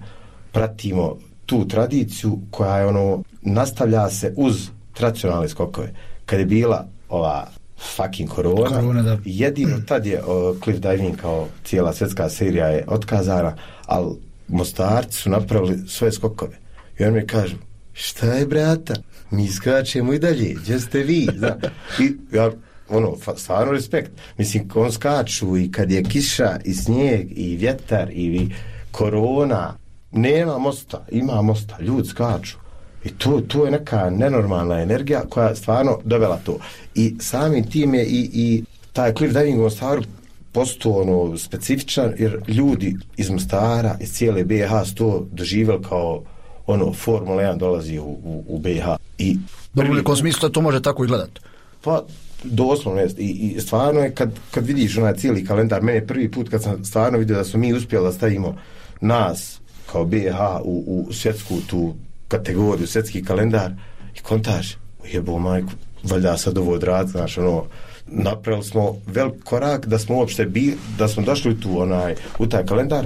pratimo tu tradiciju koja je ono, nastavlja se uz tradicionalne skokove. Kad je bila ova fucking korona, korona jedino tad je o, Cliff Diving kao cijela svjetska serija je otkazana, ali Mostarci su napravili svoje skokove. I on mi kažu, šta je brata, mi skačemo i dalje, gdje ste vi? Zna? I ja, ono, stvarno respekt. Mislim, on skaču i kad je kiša i snijeg i vjetar i korona, nema mosta, ima mosta, ljudi skaču. I to, to je neka nenormalna energija koja stvarno dovela to. I samim tim je i, i taj cliff diving u Mostaru postao ono specifičan, jer ljudi iz Mostara, iz cijele B H su to doživjeli kao ono, Formula jedan dolazi u, u, u B H. I prvi, u nekom smislu to može tako i gledati? Pa, doslovno jest. I, i stvarno je kad, kad vidiš onaj cijeli kalendar, mene prvi put kad sam stvarno vidio da smo mi uspjeli da stavimo nas kao B H u, u svjetsku tu kategoriju, svjetski kalendar i kontaž, jebo majku, valjda sad ovo odraditi, znaš, ono, napravili smo velik korak da smo uopšte bi, da smo došli tu onaj, u taj kalendar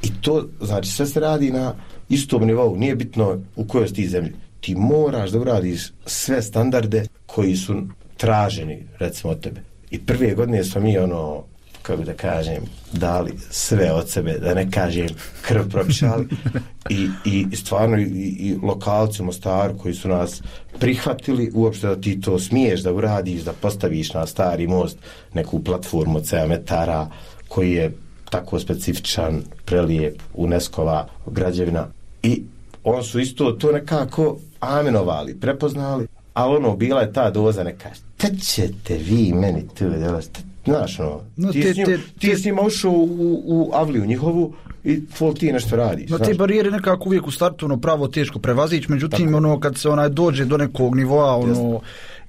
i to, znači, sve se radi na istom nivou, nije bitno u kojoj si ti zemlji. Ti moraš da uradiš sve standarde koji su traženi, recimo, od tebe. I prve godine smo mi, ono, kako da kažem, dali sve od sebe, da ne kažem krv propišali i, i stvarno i, i lokalci u Mostaru koji su nas prihvatili uopšte da ti to smiješ da uradiš, da postaviš na stari most neku platformu od sedam metara koji je tako specifičan, prelijep, UNESCO-va građevina i on su isto to nekako amenovali, prepoznali, ali ono, bila je ta doza neka, šta ćete vi meni tu, znaš, no, no ti, te, s njim, te, ti te, s njima ušao u, u avliju njihovu i tvoj ti nešto radiš. No, te barijere nekako uvijek u startu ono, pravo teško prevazići, međutim, tako, ono, kad se onaj dođe do nekog nivoa, ono,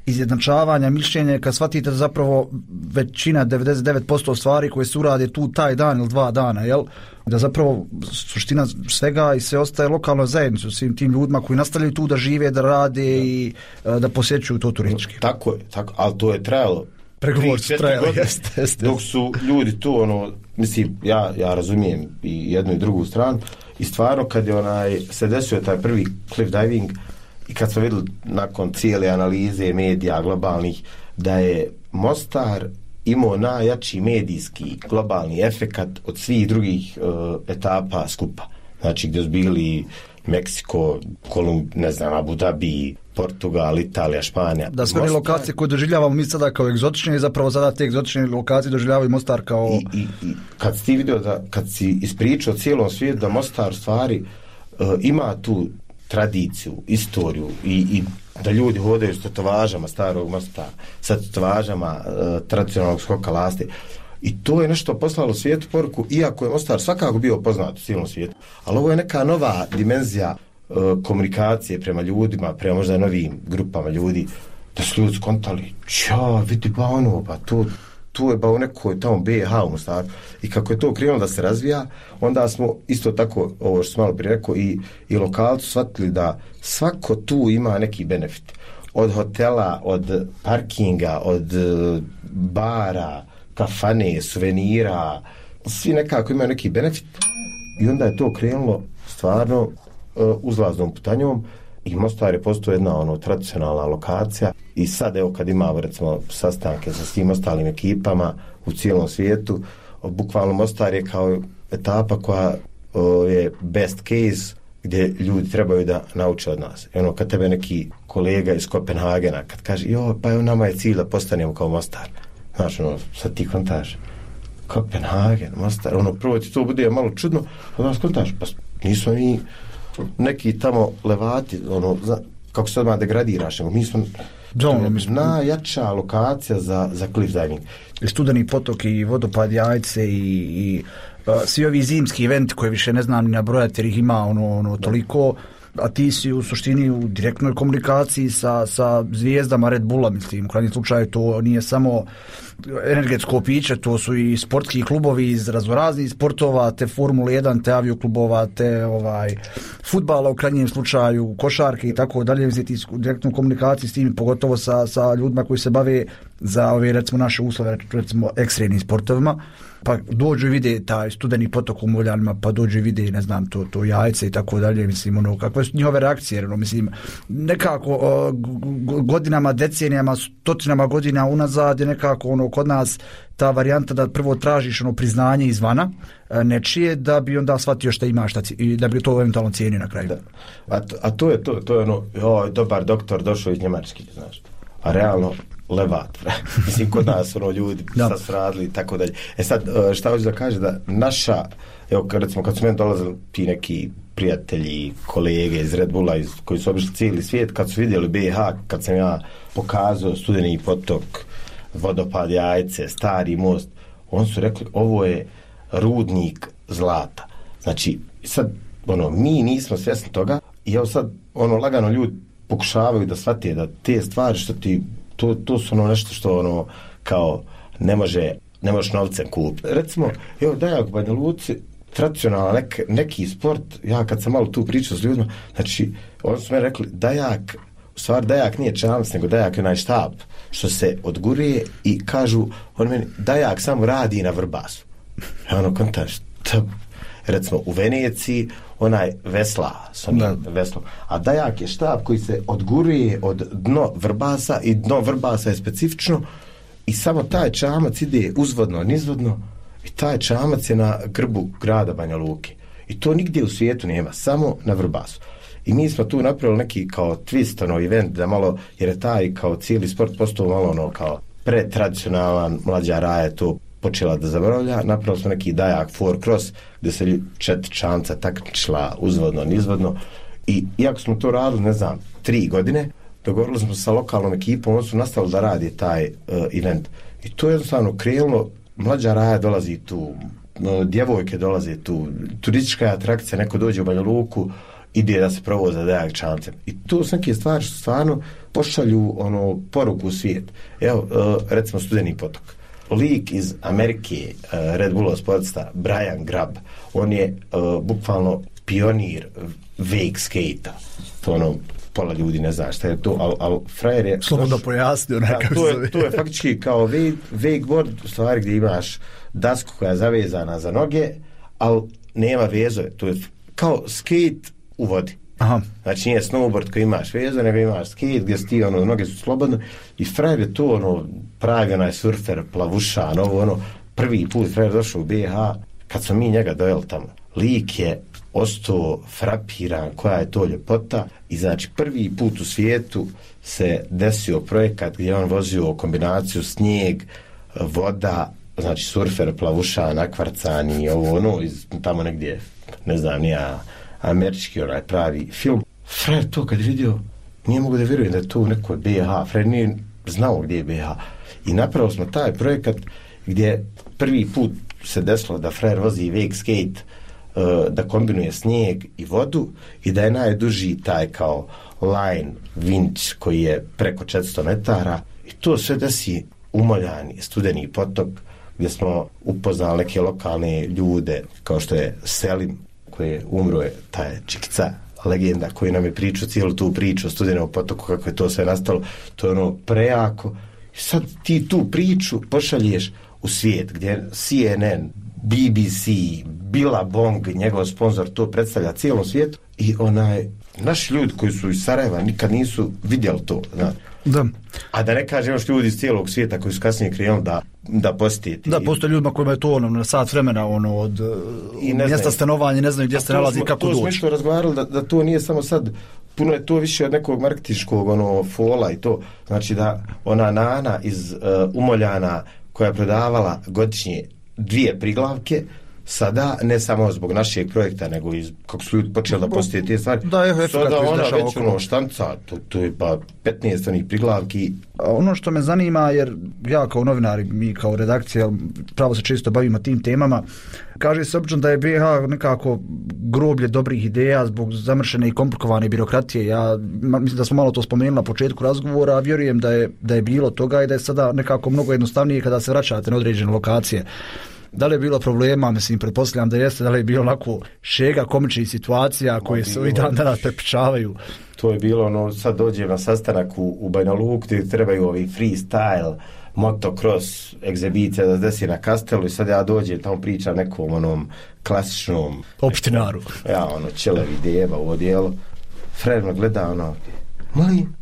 izjednačavanja, mišljenja, kad shvatite da zapravo većina, devedeset devet posto stvari koje se urade tu taj dan ili dva dana, jel? Da zapravo suština svega i sve ostaje lokalnoj zajednici, svim tim ljudima koji nastavljaju tu da žive, da rade ja. i da posjećuju to turistički. Tako je, tako, ali to je trajalo pregovor su trajali, jeste, jeste. Dok su ljudi tu, ono, mislim, ja, ja razumijem i jednu i drugu stranu i stvarno kad je onaj, se desio taj prvi cliff diving i kad smo vidjeli nakon cijele analize medija globalnih da je Mostar imao najjači medijski globalni efekat od svih drugih uh, etapa skupa. Znači gdje su bili Meksiko, Kolumb, ne znam, Abu Dhabi, Portugal, Italija, Španija. Da sve Mostar... lokacije koje doživljavamo mi sada kao egzotične i zapravo sada te egzotične lokacije doživljavaju Mostar kao... I, i, i kad si ti vidio da, kad si ispričao cijelom svijetu da Mostar stvari uh, ima tu tradiciju, istoriju i, i da ljudi hodaju s tetovažama starog Mostara, sa tetovažama uh, tradicionalnog skoka lasti. I to je nešto poslalo svijetu poruku, iako je Mostar svakako bio poznat u cijelom svijetu, ali ovo je neka nova dimenzija uh, komunikacije prema ljudima, prema možda novim grupama ljudi, da su ljudi skontali, ča, vidi ba ono, ba to, tu je ba u nekoj tamo B H u Mostaru. I kako je to krenulo da se razvija, onda smo isto tako, ovo što sam malo prije rekao, i, i lokalci shvatili da svako tu ima neki benefit. Od hotela, od parkinga, od bara, kafane, suvenira, svi nekako imaju neki benefit i onda je to krenulo stvarno uh, uzlaznom putanjom i Mostar je postao jedna ono tradicionalna lokacija i sad evo kad imamo recimo sastanke sa svim ostalim ekipama u cijelom svijetu, bukvalno Mostar je kao etapa koja uh, je best case gdje ljudi trebaju da nauče od nas. I ono, kad tebe neki kolega iz Kopenhagena, kad kaže, jo, pa evo nama je cilj da postanemo kao Mostar. Znaš, ono, sad ti kontaš, Kopenhagen, Mostar, ono, prvo ti to bude malo čudno, a nas kontaš, pa nismo mi neki tamo levati, ono, zna, kako se odmah degradiraš, nego mi smo Dono, mi smo najjača lokacija za, za cliff diving. I Studeni potok i vodopad Jajce i, i uh, svi ovi zimski eventi koje više ne znam ni nabrojati jer ih ima ono, ono toliko, a ti si u suštini u direktnoj komunikaciji sa, sa zvijezdama Red Bulla, mislim, u krajnjem slučaju to nije samo energetsko piće, to su i sportski klubovi iz raznoraznih sportova, te Formule jedan, te avioklubova, te ovaj fudbala u krajnjem slučaju, košarke i tako dalje, mislim, ti u direktnoj komunikaciji s tim, pogotovo sa, sa ljudima koji se bave za ove, recimo, naše uslove, recimo, ekstremnim sportovima, pa dođu i vide taj Studeni potok u Moljanima, pa dođu i vide, ne znam, to, to Jajce i tako dalje, mislim, ono, kakve su njihove reakcije, ono, mislim, nekako o, godinama, decenijama, stotinama godina unazad je nekako, ono, kod nas ta varijanta da prvo tražiš, ono, priznanje izvana, nečije, da bi onda shvatio šta imaš, šta, i da bi to eventualno cijenio na kraju. Da. A, to, a to je to, to je ono, o, dobar doktor došao iz Njemačke, znaš, a realno, levat, mislim, kod nas ono ljudi sad su radili i tako dalje. E sad, šta hoću da kaže, da naša, evo, recimo, kad su meni dolazili ti neki prijatelji, kolege iz Red Bulla, iz, koji su obišli cijeli svijet, kad su vidjeli B H, kad sam ja pokazao Studeni potok, vodopad Jajce, stari most, oni su rekli, ovo je rudnik zlata. Znači, sad, ono, mi nismo svjesni toga i evo sad, ono, lagano ljudi pokušavaju da shvate da te stvari što ti To, to su ono nešto što ono kao ne može, ne možeš novcem kupiti. Recimo, evo Dajak u Banja Luci, tradicionalno nek, neki sport, ja kad sam malo tu pričao s ljudima, znači, oni su me rekli, Dajak, u stvari Dajak nije čamac, nego Dajak je onaj štab, što se odguruje i kažu, oni meni, Dajak samo radi na vrbasu. Ja ono kontaš, recimo u Veneciji, onaj vesla, veslo. A Dajak je štab koji se odguruje od dno vrbasa i dno vrbasa je specifično i samo taj čamac ide uzvodno, nizvodno i taj čamac je na grbu grada Banja Luke. I to nigdje u svijetu nema, samo na vrbasu. I mi smo tu napravili neki kao twist, ono, event, da malo, jer je taj kao cijeli sport postao malo ono kao pretradicionalan, mlađa raja to počela da zaboravlja, napravili smo neki Dajak four cross gdje se četiri čamca takmičila uzvodno, nizvodno i iako smo to radili, ne znam, tri godine, dogovorili smo sa lokalnom ekipom, oni su nastavili da radi taj uh, event i to je jednostavno krenulo, mlađa raja dolazi tu, no, djevojke dolaze tu, turistička atrakcija, neko dođe u Banja Luku, ide da se provoza Dajak čamcem i to su neke stvari što stvarno pošalju ono, poruku u svijet. Evo, uh, recimo Studeni potok. Lik iz Amerike, uh, Red Bullov sportista, Brian Grab, on je uh, bukvalno pionir wake skate-a. To ono, pola ljudi ne zna šta je to, ali al frajer je... Slobodno pojasnio nekako. To je, to je faktički kao wake, wakeboard, u stvari gdje imaš dasku koja je zavezana za noge, ali nema vezove. To je kao skate u vodi. Aha. Znači nije snowboard koji imaš vezo, nego imaš skate gdje ti ono, noge su slobodne i frajer je to ono, pravi onaj surfer, plavušan, ovo ono, prvi put frajer došao u B H, kad smo mi njega dojeli tamo, lik je ostao frapiran koja je to ljepota i znači prvi put u svijetu se desio projekat gdje on vozio kombinaciju snijeg, voda, znači surfer, plavušan, akvarcani, ovo ono, iz, tamo negdje, ne znam, nija američki onaj pravi film. Frajer to kad vidio, nije mogu da vjerujem da je to u nekoj B H. Frajer nije znao gdje je B H. I napravili smo taj projekat gdje prvi put se desilo da frajer vozi wake skate, uh, da kombinuje snijeg i vodu i da je najduži taj kao line vinč koji je preko četiristo metara. I to sve desi u Moljani, Studeni potok, gdje smo upoznali neke lokalne ljude kao što je Selim, koji je umro, je taj Čikica, legenda koji nam je pričao cijelu tu priču o Studenom potoku, kako je to sve nastalo, to je ono prejako. I sad ti tu priču pošalješ u svijet, gdje C N N, B B C, Billabong, njegov sponsor, to predstavlja cijelom svijetu i onaj, naši ljudi koji su iz Sarajeva nikad nisu vidjeli to, znaš. Da. A da ne kažem još ljudi iz cijelog svijeta koji su kasnije krenuli da, da posjetiti. Da, postoje ljudima kojima je to ono, na sat vremena ono, od I ne mjesta stanovanja, ne znaju gdje se nalazi, kako doći. To smo isto razgovarali da, da to nije samo sad, puno je to više od nekog marketinškog ono, fola i to. Znači da ona Nana iz uh, Umoljana koja je prodavala godišnje dvije priglavke, sada, ne samo zbog našeg projekta, nego iz, kako su ljudi počeli da postije te stvari, da, je sada ona već ono štanca, to, to je pa petnaest onih priglavki. Ono što me zanima, jer ja kao novinar, mi kao redakcija, pravo se često bavimo tim temama, kaže se obično da je B i H nekako groblje dobrih ideja zbog zamršene i komplikovane birokratije. Ja mislim da smo malo to spomenuli na početku razgovora, a vjerujem da je, da je bilo toga i da je sada nekako mnogo jednostavnije kada se vraćate na određene lokacije. Da li je bilo problema, mislim, pretpostavljam da jeste, da li je bilo onako šega komičnih situacija koje se ovih dan danas prepričavaju? To je bilo, ono, sad dođem na sastanak u, u Banja Luku gdje trebaju ovi freestyle, motocross, egzibicija da se desi na Kastelu i sad ja dođem, tamo pričam nekom onom klasičnom... Opštinaru. Nekom, ja, ono, čelevi djeba u odijelu. Fred me gleda, ono, molim,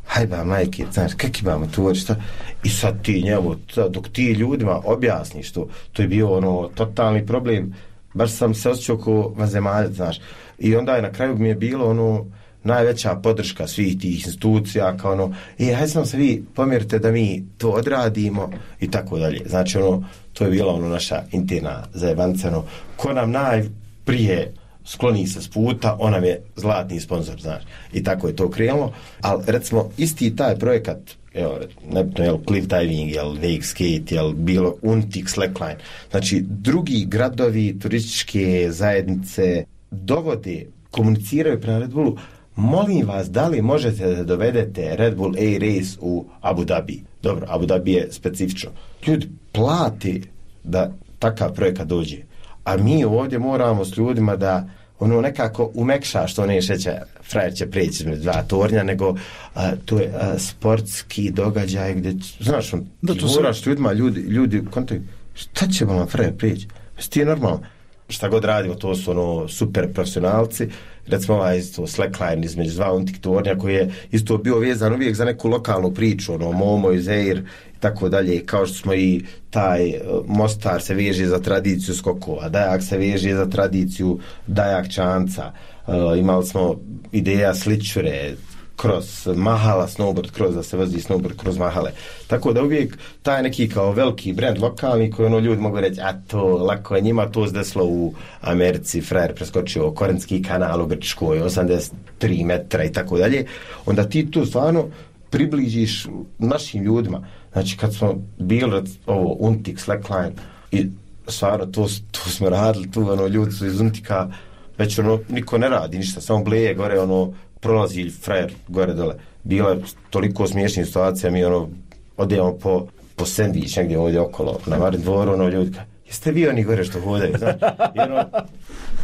hajba majke, znaš, kak imamo tu šta? I sad ti njemu, dok ti ljudima objasniš to, to je bio ono totalni problem, baš sam se osjećao ko vanzemaljac, znaš. I onda je na kraju mi je bilo ono najveća podrška svih tih institucija, kao ono, e, hajde sam se vi pomjerite da mi to odradimo i tako dalje. Znači ono, to je bila ono naša interna zajebanca, ono, ko nam najprije skloni se s puta, on nam je zlatni sponsor, znaš. I tako je to krenulo. Ali recimo, isti taj projekat, evo, nebitno, jel, cliff diving, jel, wake skate, jel, bilo Untik, slackline. Znači, drugi gradovi, turističke zajednice dovode, komuniciraju prema Red Bullu, molim vas, da li možete da dovedete Red Bull A-Race u Abu Dhabi? Dobro, Abu Dhabi je specifično. Ljudi plati da takav projekat dođe. A mi ovdje moramo s ljudima da ono nekako umekša što ne šeća, frajer će preći između dva tornja, nego a, to je a, sportski događaj gdje, znaš, on, da, ti moraš se... ljudima, ljudi, ljudi kontaju, šta će vam frajer preći? Ti je normalno. Šta god radimo, to su ono super profesionalci, recimo ovaj isto slackline između dva Untik tornja koji je isto bio vezan uvijek za neku lokalnu priču, ono Momo i Zair i tako dalje, kao što smo i taj Mostar se veže za tradiciju skokova, Dajak se veže za tradiciju Dajak čanca, uh, imali smo ideja sličure kroz Mahala snowboard, kroz da se vozi snowboard kroz Mahale. Tako da uvijek taj neki kao veliki brend lokalni koji ono ljudi mogu reći, a to lako je njima to zdeslo u Americi, frajer preskočio Korenski kanal u Grčkoj, osamdeset tri metra i tako dalje. Onda ti tu stvarno približiš našim ljudima. Znači kad smo bili ovo Untik, slackline i stvarno to, to smo radili, tu ono ljudi su iz Untika već ono niko ne radi ništa, samo bleje gore ono prolazi frajer gore dole. Bila je toliko smiješnih situacija, mi ono odijemo po, po sendvič negdje ovdje okolo, na Marin dvoru, ono ljudi ka, jeste vi oni gore što hodaju, znači, ono,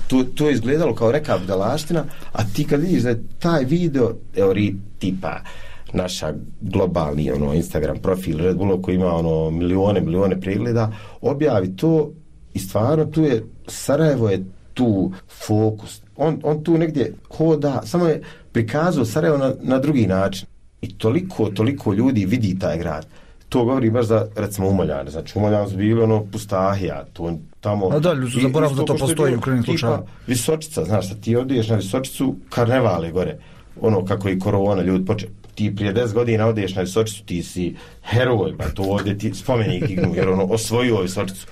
to, to je izgledalo kao neka budalaština, a ti kad vidiš da je taj video, evo ri, tipa, naša globalni ono, Instagram profil Red Bulla koji ima ono milione, milione pregleda, objavi to i stvarno tu je, Sarajevo je tu fokus. On, on tu negdje hoda, samo je prikazao Sarajevo na, na drugi način. I toliko, toliko ljudi vidi taj grad. To govori baš za, recimo, Umoljane. Znači, Umoljane su bili ono pustahija. To, tamo, a da, ljudi su zaboravili da to postoji u krajnjem slučaju. Visočica, znaš, da ti odiješ na Visočicu, karnevale gore. Ono kako i korona, ljudi poče. Ti prije deset godina odiješ na Visočicu, ti si heroj, pa to ovdje ti spomenik ignu, jer ono, osvojio Visočicu.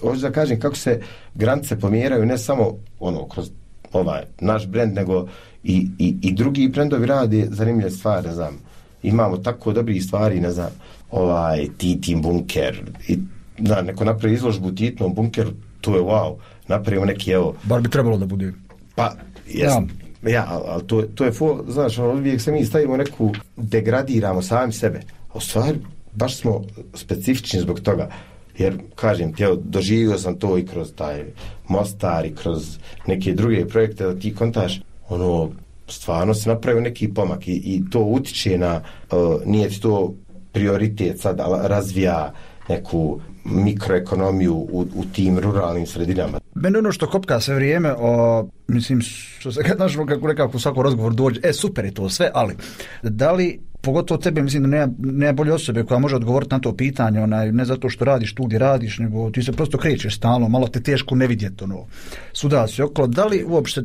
Hoću da kažem kako se granice pomjeraju, ne samo ono, kroz ovaj naš brend, nego i, i, i drugi brendovi rade zanimljive stvari, ne znam. Imamo tako dobrih stvari, ne znam, ovaj Titin bunker, i da, neko napravi izložbu u Titinom bunkeru, to je wow, napravimo neki, evo... Bar bi trebalo da bude. Pa, jesam. Ja. Ja, ali, ali to, to je, fo, znaš, uvijek se mi stavimo neku, degradiramo sami sebe. A u stvari, baš smo specifični zbog toga. Jer, kažem ti, evo, doživio sam to i kroz taj Mostar i kroz neke druge projekte, da ti kontaš, ono, stvarno se napravio neki pomak i, i to utiče na, uh, nije ti to prioritet sad razvija neku mikroekonomiju u, u tim ruralnim sredinama. Mene ono što kopka sve vrijeme, o, mislim, što se kad našlo kako nekako u svakom razgovoru dođe, e super je to sve, ali da li, pogotovo tebe, mislim da nema, nema bolje osobe koja može odgovoriti na to pitanje, onaj, ne zato što radiš tu gdje radiš, nego ti se prosto krećeš stalno, malo te teško ne vidjeti, ono, suda se okolo. Da li uopšte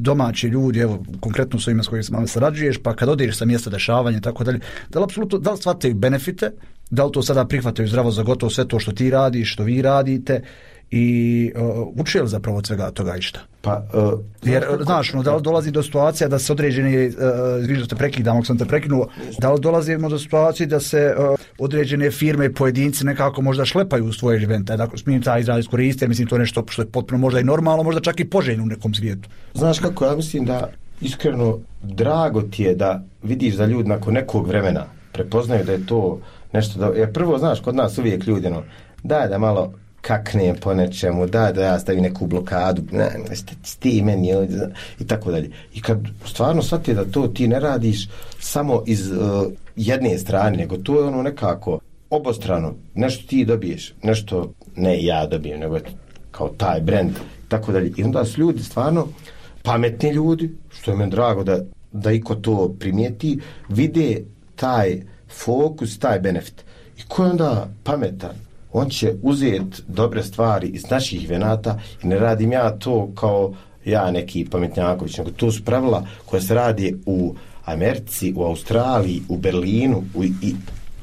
domaći ljudi, evo, konkretno s ovima s kojima sarađuješ, pa kad odeš sa mjesta dešavanja i tako dalje, da li apsolutno, da li shvataju benefite, da li to sada prihvataju zdravo za gotovo sve to što ti radiš, što vi radite, i uh, uči li zapravo od svega toga išta? Pa, uh, jer, znaš, no, da li dolazi do situacija da se određene, uh, vidiš da te prekidam, ako sam te prekinuo, da li dolazimo do situacije da se uh, određene firme i pojedinci nekako možda šlepaju u svoje evente, da smijem taj izraz iskoristiti, mislim to je nešto što je potpuno možda i normalno, možda čak i poželjno u nekom svijetu. Znaš kako, ja mislim da iskreno drago ti je da vidiš da ljudi nakon nekog vremena prepoznaju da je to nešto da, jer prvo, znaš, kod nas uvijek ljudi, no, daj da malo kakne po nečemu, da, da ja stavim neku blokadu, ne, ne, sti meni, i tako dalje. I kad stvarno shvati da to ti ne radiš samo iz uh, jedne strane, nego to je ono nekako obostrano, nešto ti dobiješ, nešto ne ja dobijem, nego kao taj brand, tako dalje. I onda su ljudi stvarno pametni ljudi, što je meni drago da, da iko to primijeti, vide taj fokus, taj benefit. I ko je onda pametan? On će uzeti dobre stvari iz naših venata i ne radim ja to kao ja neki pametnjaković, nego to su pravila koje se radi u Americi, u Australiji, u Berlinu u, i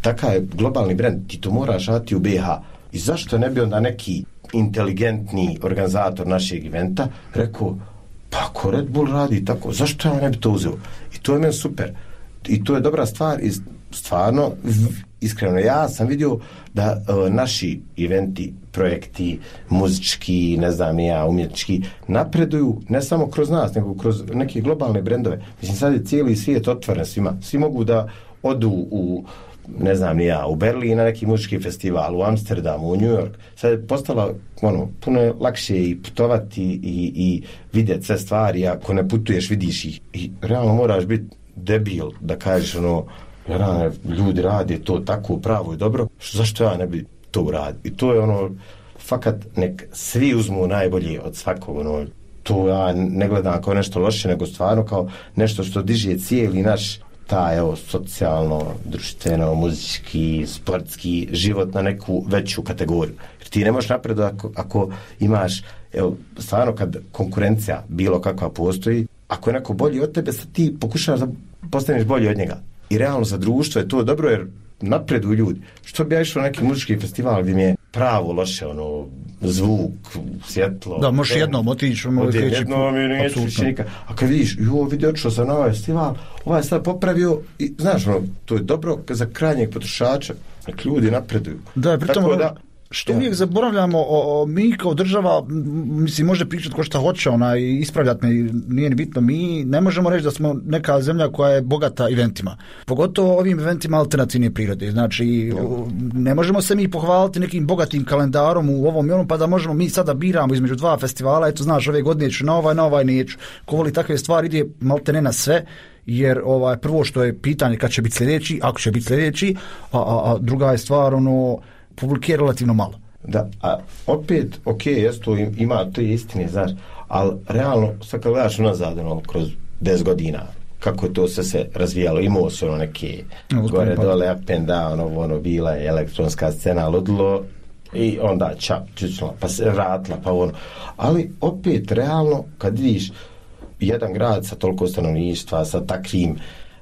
takav je globalni brend, ti to moraš raditi u B H. I zašto ne bi onda neki inteligentni organizator našeg eventa rekao, pa ako Red Bull radi tako, zašto ja ne bi to uzeo? I to je meni super. I to je dobra stvar i stvarno, iskreno, ja sam vidio da uh, naši eventi, projekti, muzički, ne znam ja, umjetnički, napreduju ne samo kroz nas, nego kroz neke globalne brendove. Mislim, sad je cijeli svijet otvoren svima. Svi mogu da odu u, ne znam ni ja, u Berlin na neki muzički festival, u Amsterdamu, u New York. Sad je postala, ono, puno je lakše i putovati i, i vidjeti sve stvari, ako ne putuješ, vidiš ih. I realno moraš biti debil da kažeš, ono, ja, ljudi rade to tako pravo i dobro, zašto ja ne bi to uradio? I to je ono, fakat nek svi uzmu najbolje od svakog, ono, to ja ne gledam kao nešto loše, nego stvarno kao nešto što diže cijeli naš taj, evo, socijalno, društveno, muzički, sportski život na neku veću kategoriju. Jer ti ne možeš napredovati ako, ako imaš, evo, stvarno kad konkurencija bilo kakva postoji, ako je neko bolji od tebe, sad ti pokušaš da postaneš bolji od njega. I realno za društvo je to dobro jer napreduju ljudi. Što bi ja išao na neki muzički festival gdje mi je pravo loše, ono, zvuk, svjetlo. Da, možeš jednom otići. Odjem jednom i neću više nikad. A kad vidiš, jo, vidi, otišao sam na ovaj festival, ovaj sad popravio i, znaš, ono, to je dobro za krajnjeg potrošača. Nek ljudi napreduju. Da, pritom, tako da, što uvijek zaboravljamo, o, o, mi kao država, mislim, može pričati ko šta hoće, ona, i ispravljati me, nije ni bitno, mi ne možemo reći da smo neka zemlja koja je bogata eventima. Pogotovo ovim eventima alternativne prirode. Znači, ne možemo se mi pohvaliti nekim bogatim kalendarom u ovom i onom, pa da možemo mi sada biramo između dva festivala, eto, znaš, ove godine ću na ovaj, na ovaj neću. Ko voli takve stvari, ide malte ne na sve, jer ovaj, prvo što je pitanje kad će biti sljedeći, ako će biti sljedeći, a, a, a druga je stvar, ono, publike je relativno malo. Da, a opet, ok, jes to ima, to je istine, znaš, ali realno, sad kad gledaš unazad, ono, kroz deset godina, kako je to sve se razvijalo, imao se ono neke no, gore, pa dole, up and down, ono, ono, bila je elektronska scena, ludilo, i onda čap, čučnula, pa se vratila, pa ono, ali opet, realno, kad vidiš jedan grad sa toliko stanovništva, sa takvim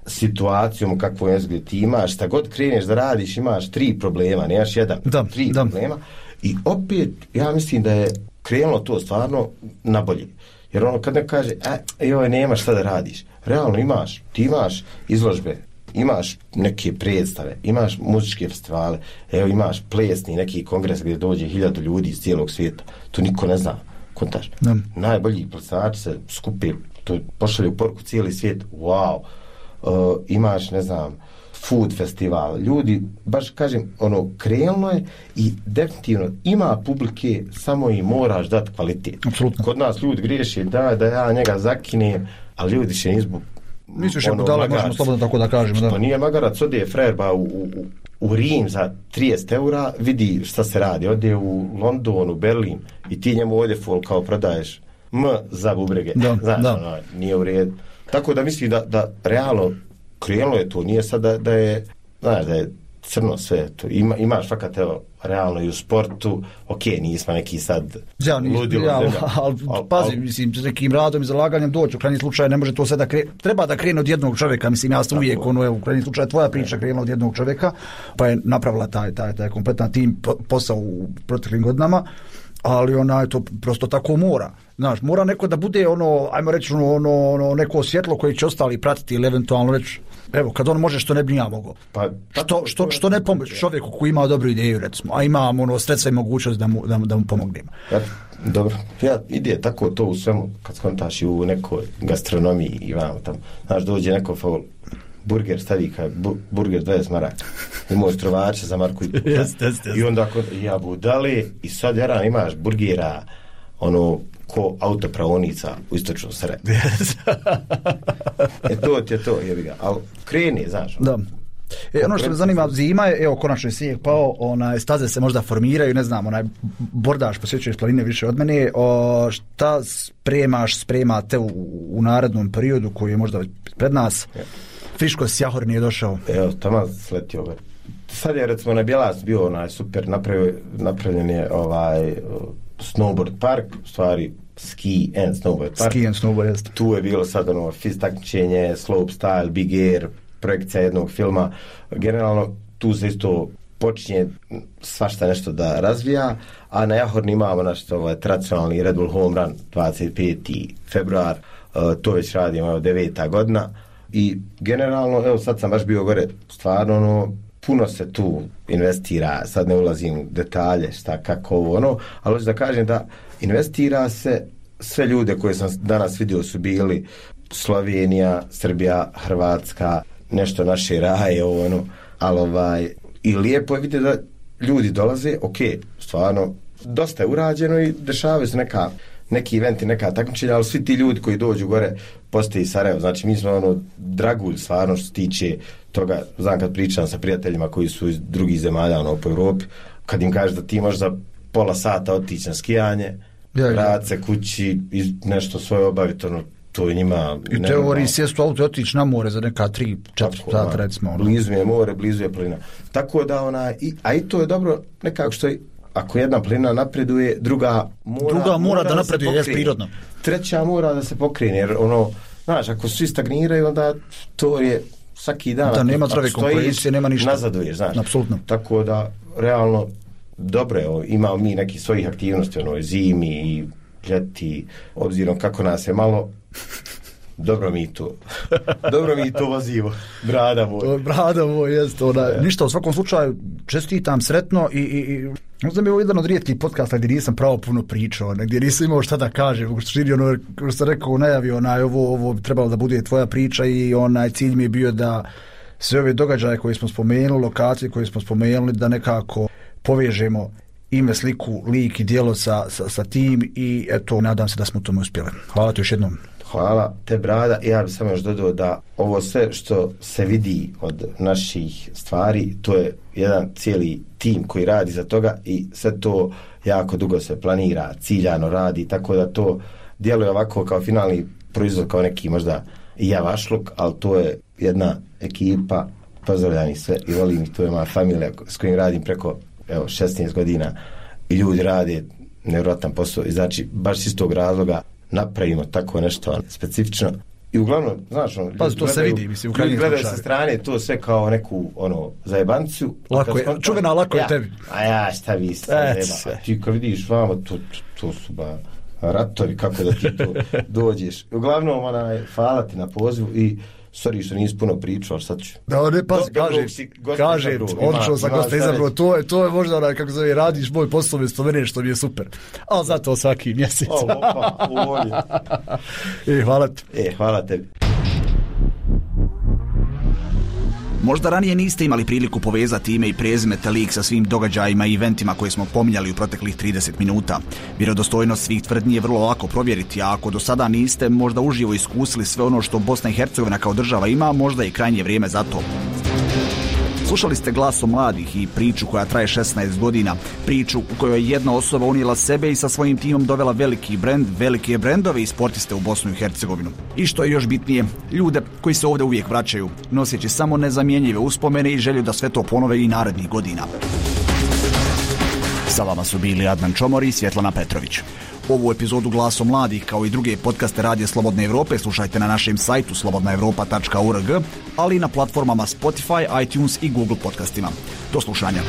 situacijom kakvu je gdje ti imaš, šta god kreneš da radiš, imaš tri problema, nemaš jedan, da, tri da. problema i opet ja mislim da je krenulo to stvarno na bolje. Jer ono kad ne kaže, e, joj, nemaš šta da radiš, realno imaš, ti imaš izložbe, imaš neke predstave, imaš muzičke festivale, evo imaš plesni neki kongres gdje dođe hiljadu ljudi iz cijelog svijeta, to niko ne zna, kontaš. Da. Najbolji plesači se skupe, to pošalju poruku cijeli svijet, wow. Uh, imaš, ne znam, food festival, ljudi, baš kažem, ono, krenulo je i definitivno ima publike, samo i moraš dati kvalitet. Apsolutno. Kod nas ljudi griješi, da, da ja njega zakinem, ali ljudi še nizbu nisu še ono, budala, možemo slobodno tako da kažemo. Da. Pa nije magarac, ode frajer, ba u, u, u Rim za trideset eura, vidi šta se radi, ode u London, u Berlin i ti njemu ovdje fol kao prodaješ M za bubrege. Da, znaš, da. ono, nije u redu. Tako da mislim da, da realno krenulo je to, nije sad da, da je, znaš, da je crno sve to. Ima, imaš fakat, evo, realno i u sportu, ok, nismo neki sad ja, ludilo. Ja, ali, ali, ali pazi, al, mislim, s nekim radom i zalaganjem doći, u krajnjem slučaju ne može to sve da krene, treba da krene od jednog čovjeka, mislim, ja sam uvijek, ono, evo, u krajnjem slučaju tvoja priča krenula od jednog čovjeka, pa je napravila taj, taj, taj kompletan tim posao u proteklim godinama, ali ona je to prosto tako mora. Znaš, mora neko da bude ono, ajmo reći, ono, ono neko svjetlo koje će ostali pratiti ili eventualno reći, evo, kad on može što ne bi ja mogao. Pa, što, što, što ne pomoći čovjeku koji ima dobru ideju, recimo, a ima ono sredstva i mogućnost da mu, da, da mu pomognemo. Ja, dobro, ja ide tako to u svemu, kad skontaš i u nekoj gastronomiji i vamo tam, znaš, dođe neko faul, burger stavi kaj, bu, burger dvadeset maraka, imao strovače za marku i, jest, jest, jest. I onda kod, ja budali i sad jaran imaš burgera, ono, ko autopravonica u istočnom Sarajevu. E to ti je to, jebi ga, ali kreni, znaš. Da. E, ono što me zanima, zima je, evo, konačno je snijeg pao, onaj, staze se možda formiraju, ne znam, onaj, bordaš, posjećuješ planine više od mene, o, šta spremaš, spremate u, u narednom periodu koji je možda pred nas? Ja. Friško Sjahor nije došao. Evo, tamo sletio ga. Sad je, recimo, na Bjelac bio onaj super, napravio, napravljen je ovaj snowboard park, u stvari ski and snowboard park. Ski and snowboard, jest. Tu je bilo sad ono fiz takmičenje, slope style, big air, projekcija jednog filma. Generalno tu se isto počinje svašta nešto da razvija, a na Jahorni imamo naš ovaj tradicionalni Red Bull Home Run dvadeset peti februar, uh, to već radimo, evo, deveta godina i generalno, evo sad sam baš bio gore, stvarno ono, puno se tu investira, sad ne ulazim u detalje šta, kako ovo, ono, ali hoću da kažem da investira se, sve ljude koje sam danas vidio su bili Slovenija, Srbija, Hrvatska, nešto naše raje, ovo, ono, ali ovaj, i lijepo je vidjeti da ljudi dolaze, ok, stvarno, dosta je urađeno i dešavaju se neka, neki eventi, neka takmičenja, ali svi ti ljudi koji dođu gore postoji Sarajevo, znači mi smo ono dragulj stvarno što se tiče toga, znam kad pričam sa prijateljima koji su iz drugih zemalja ono, po Europi, kad im kažeš da ti možeš za pola sata otići na skijanje, vrat se kući i nešto svoje obaviti, ono, to je njima... I teoriji sjestu auto i otići na more za neka tri, četiri sata, recimo. Ono. Blizu je more, blizu je plina. Tako da, ona, i, a i to je dobro nekako što je, ako jedna plina napreduje, druga mora, druga mora, mora da, da napreduje, je prirodno. Treća mora da se pokrene, jer ono, znaš, ako svi stagniraju, onda to je svaki dan... Da, nema zdrave konkurencije, nema ništa. Nazaduješ, znaš. Apsolutno. Tako da, realno, dobro je, imamo mi neki svojih aktivnosti, ono, zimi i ljeti, obzirom kako nas je malo, dobro mi to, dobro mi to vozimo, brada moj. Brada moj, jest, ona, ja. Ništa, u svakom slučaju, čestitam, sretno i, i, i možda mi je ovo jedan od rijetkih podcasta gdje nisam pravo puno pričao, gdje nisam imao šta da kažem, u suštini, ono, što sam rekao u najavi, onaj, ovo, ovo bi trebalo da bude tvoja priča i onaj cilj mi je bio da sve ove događaje koje smo spomenuli, lokacije koje smo spomenuli, da nekako povežemo ime, sliku, lik i djelo sa, sa, sa tim i eto, nadam se da smo tome uspjeli. Hvala ti još jednom. Hvala te, brada. Ja bih samo još dodao da ovo sve što se vidi od naših stvari, to je jedan cijeli tim koji radi za toga i sve to jako dugo se planira, ciljano radi, tako da to djeluje ovako kao finalni proizvod, kao neki možda i javašluk, ali to je jedna ekipa, pozdravljani sve i volim ih, to je moja familija s kojim radim preko evo, šesnaest godina i ljudi rade nevjerojatan posao i znači baš iz tog razloga napravimo tako nešto specifično i uglavnom, znaš, ono, pa, to se vidi, mislim, u krajnjem gledaju slučaju. sa strane to sve kao neku, ono, zajebanciju. Lako je, skontra, čuvena, lako ja, je tebi. A ja, šta vi ste, ti kad vidiš vamo, to, to su ba ratovi, kako da ti to dođeš. Uglavnom, onaj, hvala ti na pozivu i sorry što nisi puno pričao, ali sad ću. Da, ne, pa, kažem, kažem, odlično sam gosta izabrao, to je, to je možda onaj, kako zove, radiš moj posao mjesto mene, što mi je super. Ali zato svaki mjesec. O, opa, uvolje. E, hvala ti. E, hvala tebi. Možda ranije niste imali priliku povezati ime i prezime te lik sa svim događajima i eventima koje smo pominjali u proteklih trideset minuta. Vjerodostojnost svih tvrdnji je vrlo lako provjeriti, a ako do sada niste možda uživo iskusili sve ono što Bosna i Hercegovina kao država ima, možda je krajnje vrijeme za to. Slušali ste Glaso mladih i priču koja traje šesnaest godina, priču u kojoj je jedna osoba unijela sebe i sa svojim timom dovela veliki brend, velike brendove i sportiste u Bosnu i Hercegovinu. I što je još bitnije, ljude koji se ovdje uvijek vraćaju, noseći samo nezamjenjive uspomene i želju da sve to ponove i narednih godina. Sa vama su bili Adnan Čomor i Svjetlana Petrović. Ovu epizodu Glaso mladih kao i druge podcaste Radija Slobodne Evrope slušajte na našem sajtu slobodna evropa tačka org, ali i na platformama Spotify, iTunes i Google podcastima. Do slušanja.